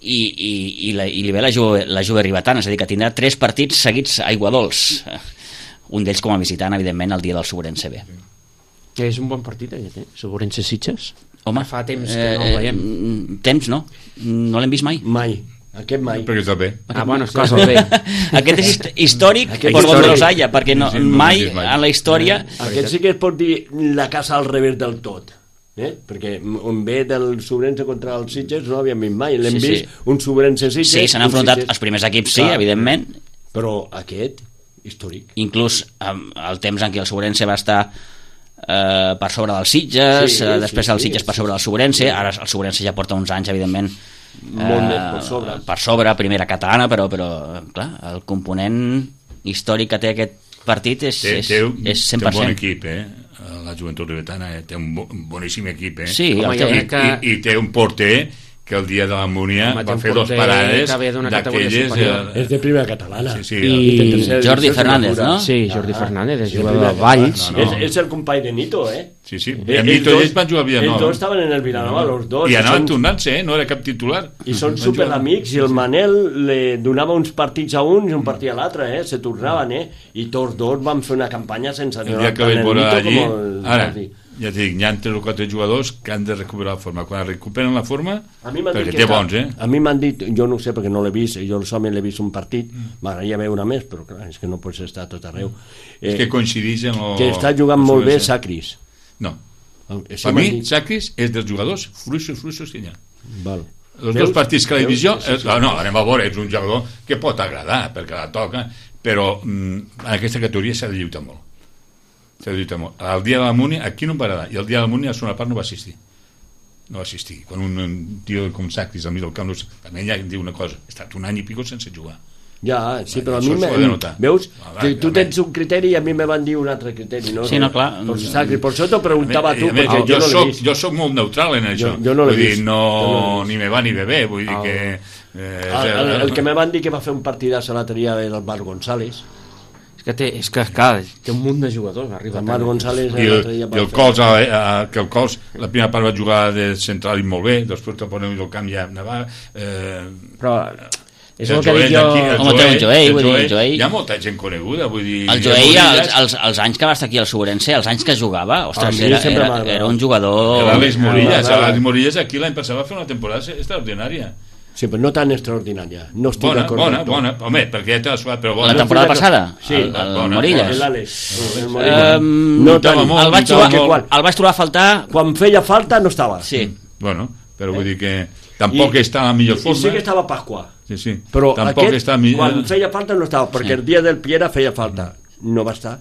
i li ve la Juve Ribatana, és a dir, que tindrà 3 partits seguits a Iguadols, un d'ells com a visitant, evidentment, el dia del Sobrense B. Que és un bon partit aquest, Sobrense Sitges. Home, fa temps que no el veiem. Temps no l'hem vist mai. Aquest mai. Perquè està bé. Bueno, és cosa bé. Aquest és històric per donde los haya, perquè mai en la història... Aquest sí que es pot dir la casa al revés del tot. Perquè on ve del Sobrense contra els Sitges no l'havíem vist mai. L'hem vist un Sobrense Sitges. Sí, s'han enfrontat els primers equips, sí, evidentment. Però aquest, històric. Inclús el temps en què el Sobrense va estar per sobre dels Sitges, després el Sitges per sobre del Sobrense, ara el Sobrense ja porta uns anys, evidentment, molt més per sobre, primera catalana, però clar, el component històric que té aquest partit és 100%. Té un bon equip, la Joventut Ribatana té un boníssim equip, sí, i té un porter que el dia de la Múnia va fer 2 parades d'aquelles... És de primera catalana. I Jordi Fernández, no? Sí, Jordi Fernández, és jugador de Valls. És el company de Nito, Sí, i amb Nito ells van jugar a Vilanova. Ells dos estaven en el Vilanova, los dos. I anaven tornant-se, no era cap titular. I són superamics, i el Manel li donava uns partits a un i un partit a l'altre, se tornaven, i tots dos van fer una campanya sense... El dia que vaig veure allí, ara... Ja et dic, hi ha 3 o 4 jugadors que han de recuperar la forma. Quan recuperen la forma, perquè té bons, A mi m'han dit, jo no ho sé perquè no l'he vist, jo solament l'he vist un partit, m'agradaria veure més, però clar, és que no pots estar tot arreu. És que coincideix en que està jugant molt bé Sacris. No. Per mi, Sacris és dels jugadors fluixos que hi ha. Els 2 partits que la divisió... No, anem a veure, és un jugador que pot agradar, perquè la toca, però en aquesta categoria s'ha de lluitar molt. El dia de la Múnia, aquí no em va agradar, i el dia de la Múnia a la segona part no va assistir. Quan un tio com Sacris al mig del camp, també ja em diu una cosa, he estat un any i pico sense jugar. Ja, sí, però a mi veus que tu tens un criteri i a mi me van dir un altre criteri, no? Sí, no, clar. Per això t'ho preguntava a tu, perquè jo no l'he vist. Jo soc molt neutral en això. Jo no l'he vist. Ni me va ni me ve, vull dir que... El que me van dir que va fer un partidàs a l'altre dia era el Marc González. És que clar, té un munt de jugadors, arriba el Marc González i el Cols, que el Cols la primera part va jugar de central i molt bé, després te ponen el camp ja anava però és el que dic jo. El Joey, hi ha molta gent coneguda, vull dir, el Joey els anys que va estar aquí al Sobrense, els anys que jugava, ostres, era un jugador. L'Àlex Morillas aquí l'any passat va fer una temporada extraordinària. Sí, però no tan extraordinària. No estic d'acord. Bona, home, perquè ja t'ha suat, però bona. La temporada passada? Sí, el Morillas. No tant. El vaig trobar a faltar... Quan feia falta no estava. Sí. Bueno, però vull dir que tampoc està a la millor forma. I sí que estava Pasqua. Sí. Però aquest, quan feia falta no estava, perquè el dia del Piera feia falta. No va estar.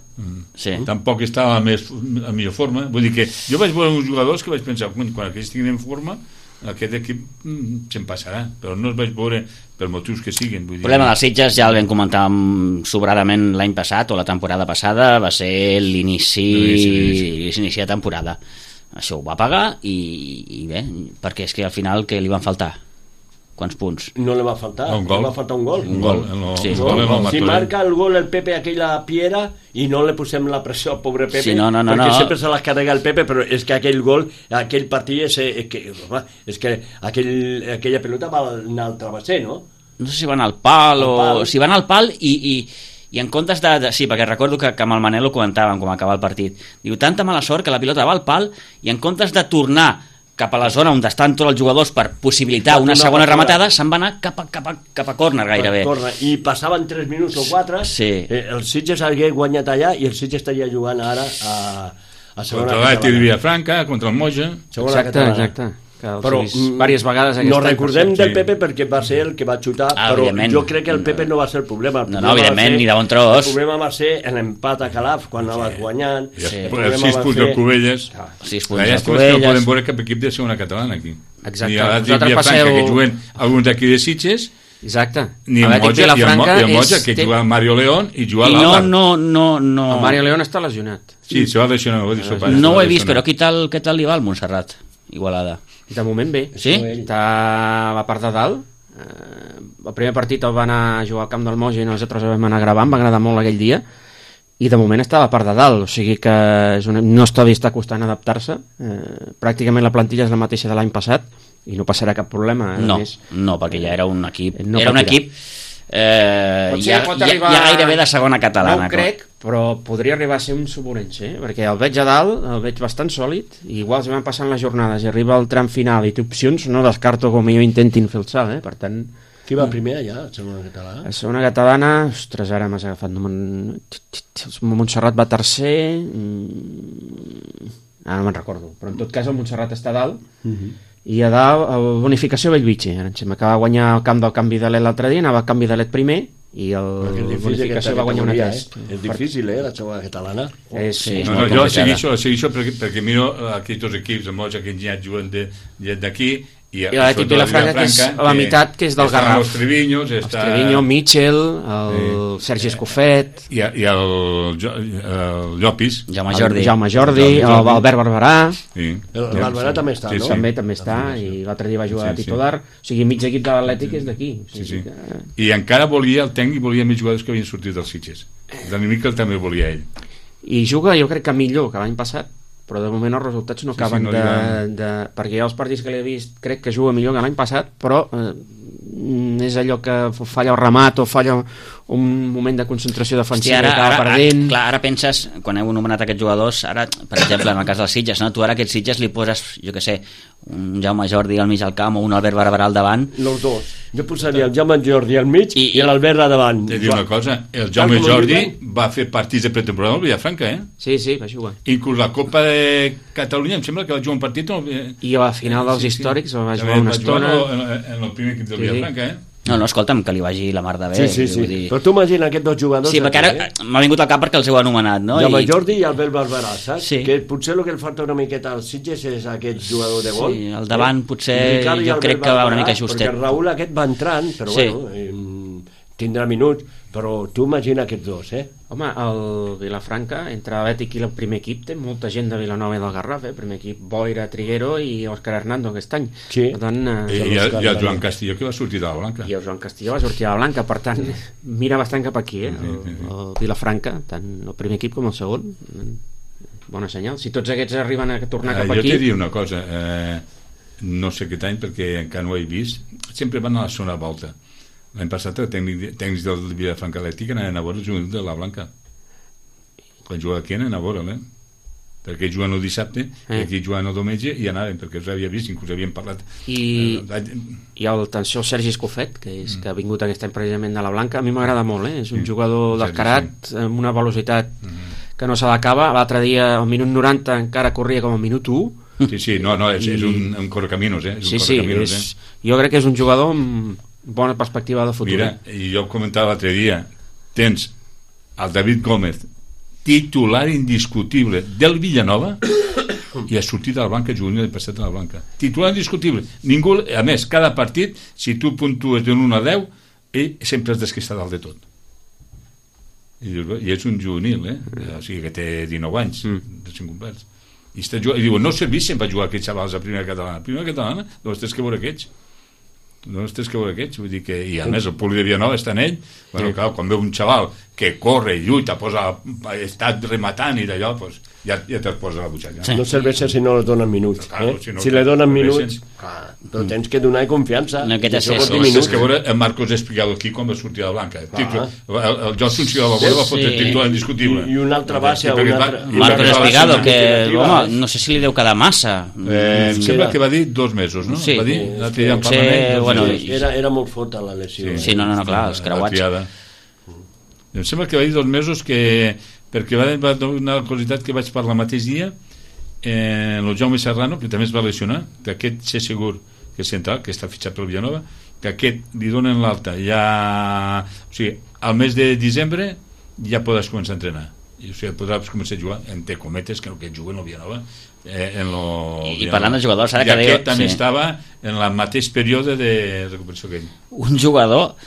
Sí. Tampoc està a la millor forma. Vull dir que jo vaig veure uns jugadors que vaig pensar, quan aquells tinguin en forma, aquest equip se'n passarà, però no els vaig veure per motius que siguin. El problema dels Sitges ja el vam comentar sobradament l'any passat o la temporada passada, va ser l'inici de temporada. Això ho va pagar i bé, perquè és que al final que li van faltar quants punts? No li va faltar, un gol. Li va faltar un gol. Sí. Si marca el gol el Pepe aquella Piera i no le posem la pressió al pobre Pepe, sí, no. perquè sempre se la carrega el Pepe, però és que aquell gol, aquell partit és que aquella pelota va anar al travesser, no? No sé si van al pal o... Si van al pal i en comptes de... Sí, perquè recordo que amb el Manel ho comentàvem com acaba el partit. Diu, tanta mala sort que la pilota va al pal i en comptes de tornar cap a la zona on estan tots els jugadors per possibilitar una segona rematada, se'n va anar cap a córner gairebé. I passaven 3 minuts o 4, sí. El Sitges hagué guanyat allà i el Sitges estaria jugant ara a segona contra l'Atlètic de Vilafranca, contra el Moja. Exacte. Però diverses vegades no recordem del Pepe perquè va ser el que va xutar, però jo crec que el Pepe no va ser el problema. No, evidentment, ni de bon tros. El problema va ser l'empat a Calaf quan anava guanyant. Els 6 punts del Cubelles. 6 punts del Cubelles. No podem veure cap equip de segona catalana aquí. Exacte. Ni a l'Atlètic de Vilafranca, que juguen alguns d'aquí de Sitges. Exacte. Ni el Moja, que juga Mario León i juga l'Alba. No. El Mario León està lesionat. Sí, se va lesionar. No ho he vist, però què tal li va al Montserrat? Igualada. De moment bé. Sí? Està a la part de dalt. El primer partit el va anar a jugar al camp del Moja i nosaltres vam anar gravant, va agradar molt aquell dia, i de moment està a la part de dalt, o sigui que no està costant adaptar-se. Pràcticament la plantilla és la mateixa de l'any passat i no passarà cap problema. No, perquè ja era un equip ja gairebé de segona catalana. No ho crec, però podria arribar a ser un Suborense, perquè el veig a dalt, el veig bastant sòlid, i igual si van passant les jornades i arriba al tram final i té opcions, no descarto com jo intentin fer el salt, per tant... Qui va primer allà, a segona catalana? A segona catalana, ostres, ara m'has agafat, Montserrat va tercer, no me'n recordo, però en tot cas el Montserrat està a dalt, i a dalt Bonificació Bellvitge, ara em sembla que va guanyar el camp del Canvi de l'Et l'altre dia, anava al Canvi de l'Et primer i el Bonificació va guanyar una 3. És difícil, la segona catalana. Jo segueixo perquè miro aquests dos equips, el Moja que ja juguen d'aquí i l'Atlètic Vilafranca, que és la meitat, que és del Garraf. Els Trevinyos, Mitchell, el Sergi Escofet i el Llopis, Jaume Jordi, l'Albert Barberà. El Barberà també està, no? També està, i l'altre dia va jugar a titular. O sigui, mig equip de l'Atlètic és d'aquí. I encara volia el tècnic, volia més jugadors que havien sortit dels Sitges. L'enemic que també volia ell. I juga, jo crec que millor que l'any passat, però de moment els resultats no acaben perquè jo els partits que l'he vist crec que juga millor que l'any passat, però és allò que falla el remat o falla un moment de concentració defensiva i acaba perdent. Ara penses, quan heu anomenat aquests jugadors, ara, per exemple, en el cas dels Sitges, tu ara a aquests Sitges li poses, jo què sé, un Jaume Jordi al mig del camp o un Albert Barberà al davant. Los dos. Jo posaria el Jaume Jordi al mig i l'Albert al davant. Te dic una cosa, el Jaume Jordi va fer partits de pretemporada al Vilafranca, Sí, va jugar. Inclús la Copa de Catalunya, em sembla que va jugar un partit... I a la final dels històrics va jugar una estona. En el primer equip del Vilafranca, No, escolta'm, que li vagi la mar de bé. Sí. Però tu imagina aquests dos jugadors... Sí, perquè ara m'ha vingut al cap perquè els heu anomenat, no? El Jordi i el Bel Barberà, saps? Sí. Que potser el que el falta una miqueta als Sitges és aquest jugador de gol. Sí, al davant potser jo crec que va una mica justet. Perquè el Raül aquest va entrant, però tindrà minuts, però tu imagina aquests dos, Home, el Vilafranca, entre l'Atlètic i el primer equip, té molta gent de Vilanova i del Garraf, primer equip, Boira, Triguero i Òscar Hernando aquest any. Sí. Per tant, I el Joan Castillo, que va sortir de la Blanca. I el Joan Castillo va sortir de la Blanca, per tant, mira bastant cap aquí, el Vilafranca, tant el primer equip com el segon. Bona senyal. Si tots aquests arriben a tornar cap aquí... Jo t'he dit una cosa, no sé aquest any, perquè encara no ho he vist, sempre van a la zona volta. L'any passat els tècnics del Vilafranca Atlètic anaven a veure el jugador de la Blanca. Quan jugava aquí anaven a veure, perquè juguen el dissabte i aquí juguen el diumenge i anaven, perquè els havia vist, inclús havien parlat. I el Sergi Escofet, que ha vingut aquest any precisament de la Blanca, a mi m'agrada molt, és un jugador descarat, amb una velocitat que no se l'acaba. L'altre dia, al minut 90, encara corria com al minut 1. Sí, és un correcaminos, jo crec que és un jugador amb bona perspectiva de futur. Mira, i jo comentava l'altre dia, tens el David Gómez, titular indiscutible del Villanova, i ha sortit de la Blanca juvenil i passat a la Blanca. Titular indiscutible. Ningú, a més, cada partit, si tu puntues d'un 1 a 10, ell sempre has d'estar dalt de tot. I és un juvenil, o sigui que té 19 anys, de 5 complets. I diu, no servís sempre a jugar aquests xavals a primera catalana. Primera catalana, doncs tens que veure aquests. Vull dir que, i a més el públic de Vilanova està en ell, clar, quan veu un xaval que corre i lluita, està rematant i d'allò, ja te'l posa a la butxaca. No serveix si no li donen minuts. Si li donen minuts, però tens que donar confiança. Tens que veure el Marcos Espigado aquí quan va sortir a la Blanca. El Johnson si la va fotre titular indiscutible. I un altre base, Marcos Espigado, que no sé si li deu quedar massa. Em sembla que va dir 2 mesos, no? Sí, era molt forta la lesió. Sí, no, clar, els creuats. Em sembla que va dir 2 mesos perquè va donar la curiositat que vaig parlar el mateix dia el Jaume Serrano, que també es va lesionar, que aquest sé segur que és central, que està fitxat pel Villanova, que aquest li donen l'alta ja, o sigui, al mes de desembre ja podràs començar a entrenar, o sigui, podràs començar a jugar, entre cometes, que juguen al Villanova i parlant de jugadors, ara que aquest també estava en el mateix període de recuperació que ell. Un jugador,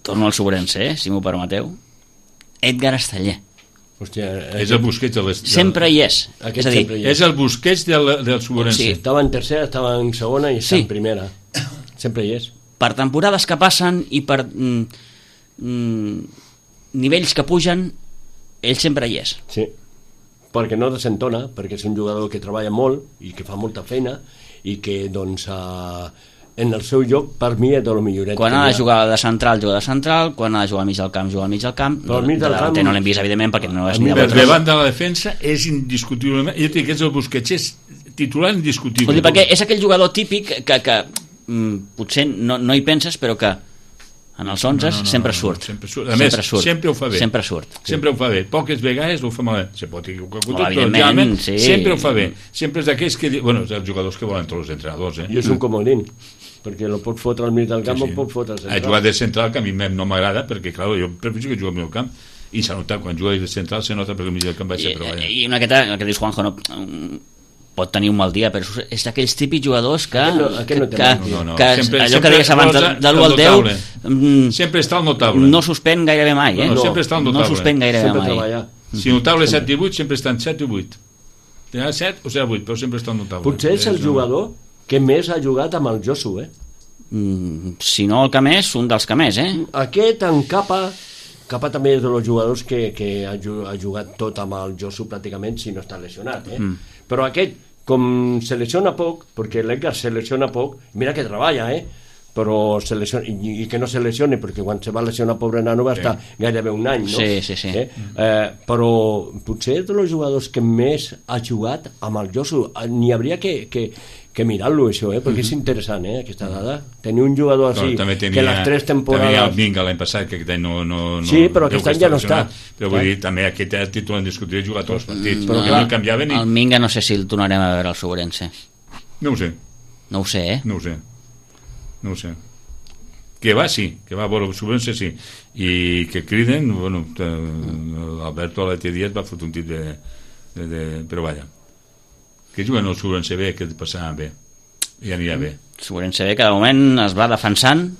torno al Sobrense, si m'ho permeteu, Edgar Esteller. Hòstia, és el Busquets sempre hi és. És a dir, és el Busquets del Sobrense. Sí, estava en tercera, estava en segona i està en primera. Sempre hi és. Per temporades que passen i per nivells que pugen, ell sempre hi és. Sí, perquè no desentona, perquè és un jugador que treballa molt i que fa molta feina i que, doncs, en el seu lloc, per mi, és de lo milloret. Quan ha de jugar de central, juga de central, quan ha de jugar al mig del camp, juga al mig del camp. Però al mig del camp no l'hem vist, evidentment, perquè no és ni de botes. Davant de la defensa és indiscutiblement... Jo dic que és el Busquets, és titular indiscutible. Vull dir, perquè és aquell jugador típic que potser no hi penses, però que en els 11 sempre surt. A més, sempre ho fa bé. Sempre surt. Sempre ho fa bé. Poques vegades ho fa malament. Se pot equivocar tot, evidentment, sí. Sempre ho fa bé. Sempre és d'aquells que... Bueno, els jugadors que volen tots els entrenadors, I és un comodín, perquè lo pot fotre al mig del camp o pot fotre al central. Ha jugat de central, que a mi no m'agrada, perquè, clar, jo prefereixo que jugui al meu camp, i s'ha notat, quan juga de central, se nota perquè al mig del camp baixa, però vaja. I una miqueta, el que dius, Juanjo, no... pot tenir un mal dia, però és d'aquells típics jugadors que allò que deies abans de l'1 al 10 sempre està al notable, no suspèn gairebé mai, sempre està al notable, no suspèn gairebé mai. Si notable 7-18 sempre està en 7 i 8, 7 o 7-8, però sempre està al notable. Potser és el jugador que més ha jugat amb el Josu, si no el que més, un dels que més, aquest en Capa també és dels jugadors que ha jugat tot amb el Josu pràcticament, si no està lesionat, però aquest, com se lesiona poc, perquè l'Edgar se lesiona poc, mira que treballa, però se lesiona, i que no se lesione, perquè quan se va lesionar pobre nano va estar gairebé un any, no? Sí. Però potser és dels jugadors que més ha jugat amb el Josu. N'hi hauria que mirar-lo, això, perquè és interessant, aquesta dada. Tenir un jugador així, que les 3 temporades... També el Minga l'any passat, que aquest any no... Sí, però aquest any ja no està. Però vull dir, també aquest títol en discutir jugar tots els partits. Però que no canviaven... El Minga no sé si el tornarem a veure al Sobrense. No ho sé. No ho sé, No ho sé. que va veure Subrense, sí, i que criden, bueno, l'Alberto Alete Díaz va fotre un tit però vaja, que juguen el Subrense B, que passarà bé, i anirà bé. Subrense B, que de moment es va defensant,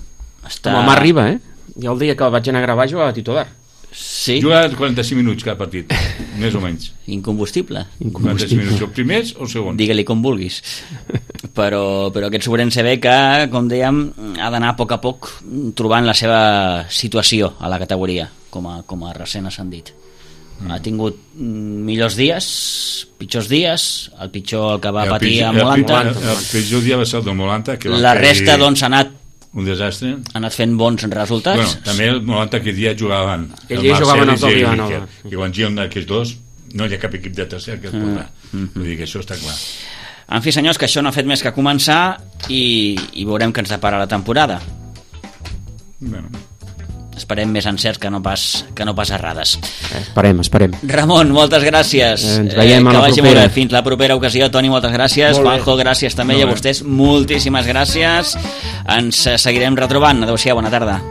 com a mà arriba, jo el dia que el vaig anar a gravar jugava titular. Sí. Juga 45 minuts cada partit, més o menys. Incombustible. 45 minuts, els primers o els segons? Digue-li com vulguis. Però aquest Subrense B que, com dèiem, ha d'anar a poc trobant la seva situació a la categoria, com a recent ascendit. Ha tingut millors dies, pitjors dies, el pitjor el que va patir a Molanta. El pitjor dia va ser el del Molanta. La resta, doncs, ha anat un desastre. Ha anat fent bons resultats. Bueno, també el Molanta aquell dia jugaven. Aquell dia jugaven el Vilanova. I quan juguen aquests dos, no hi ha cap equip de tercer que es podrà. Vull dir que això està clar. En fi, senyors, que això no ha fet més que començar i veurem què ens depara la temporada. Bueno. Esperem més encerts que no pas errades. Esperem. Ramon, moltes gràcies. Ens veiem a la propera. Fins la propera ocasió. Toni, moltes gràcies. Juanjo, gràcies també. I a vostès, moltíssimes gràcies. Ens seguirem retrobant. Adéu-siau, bona tarda.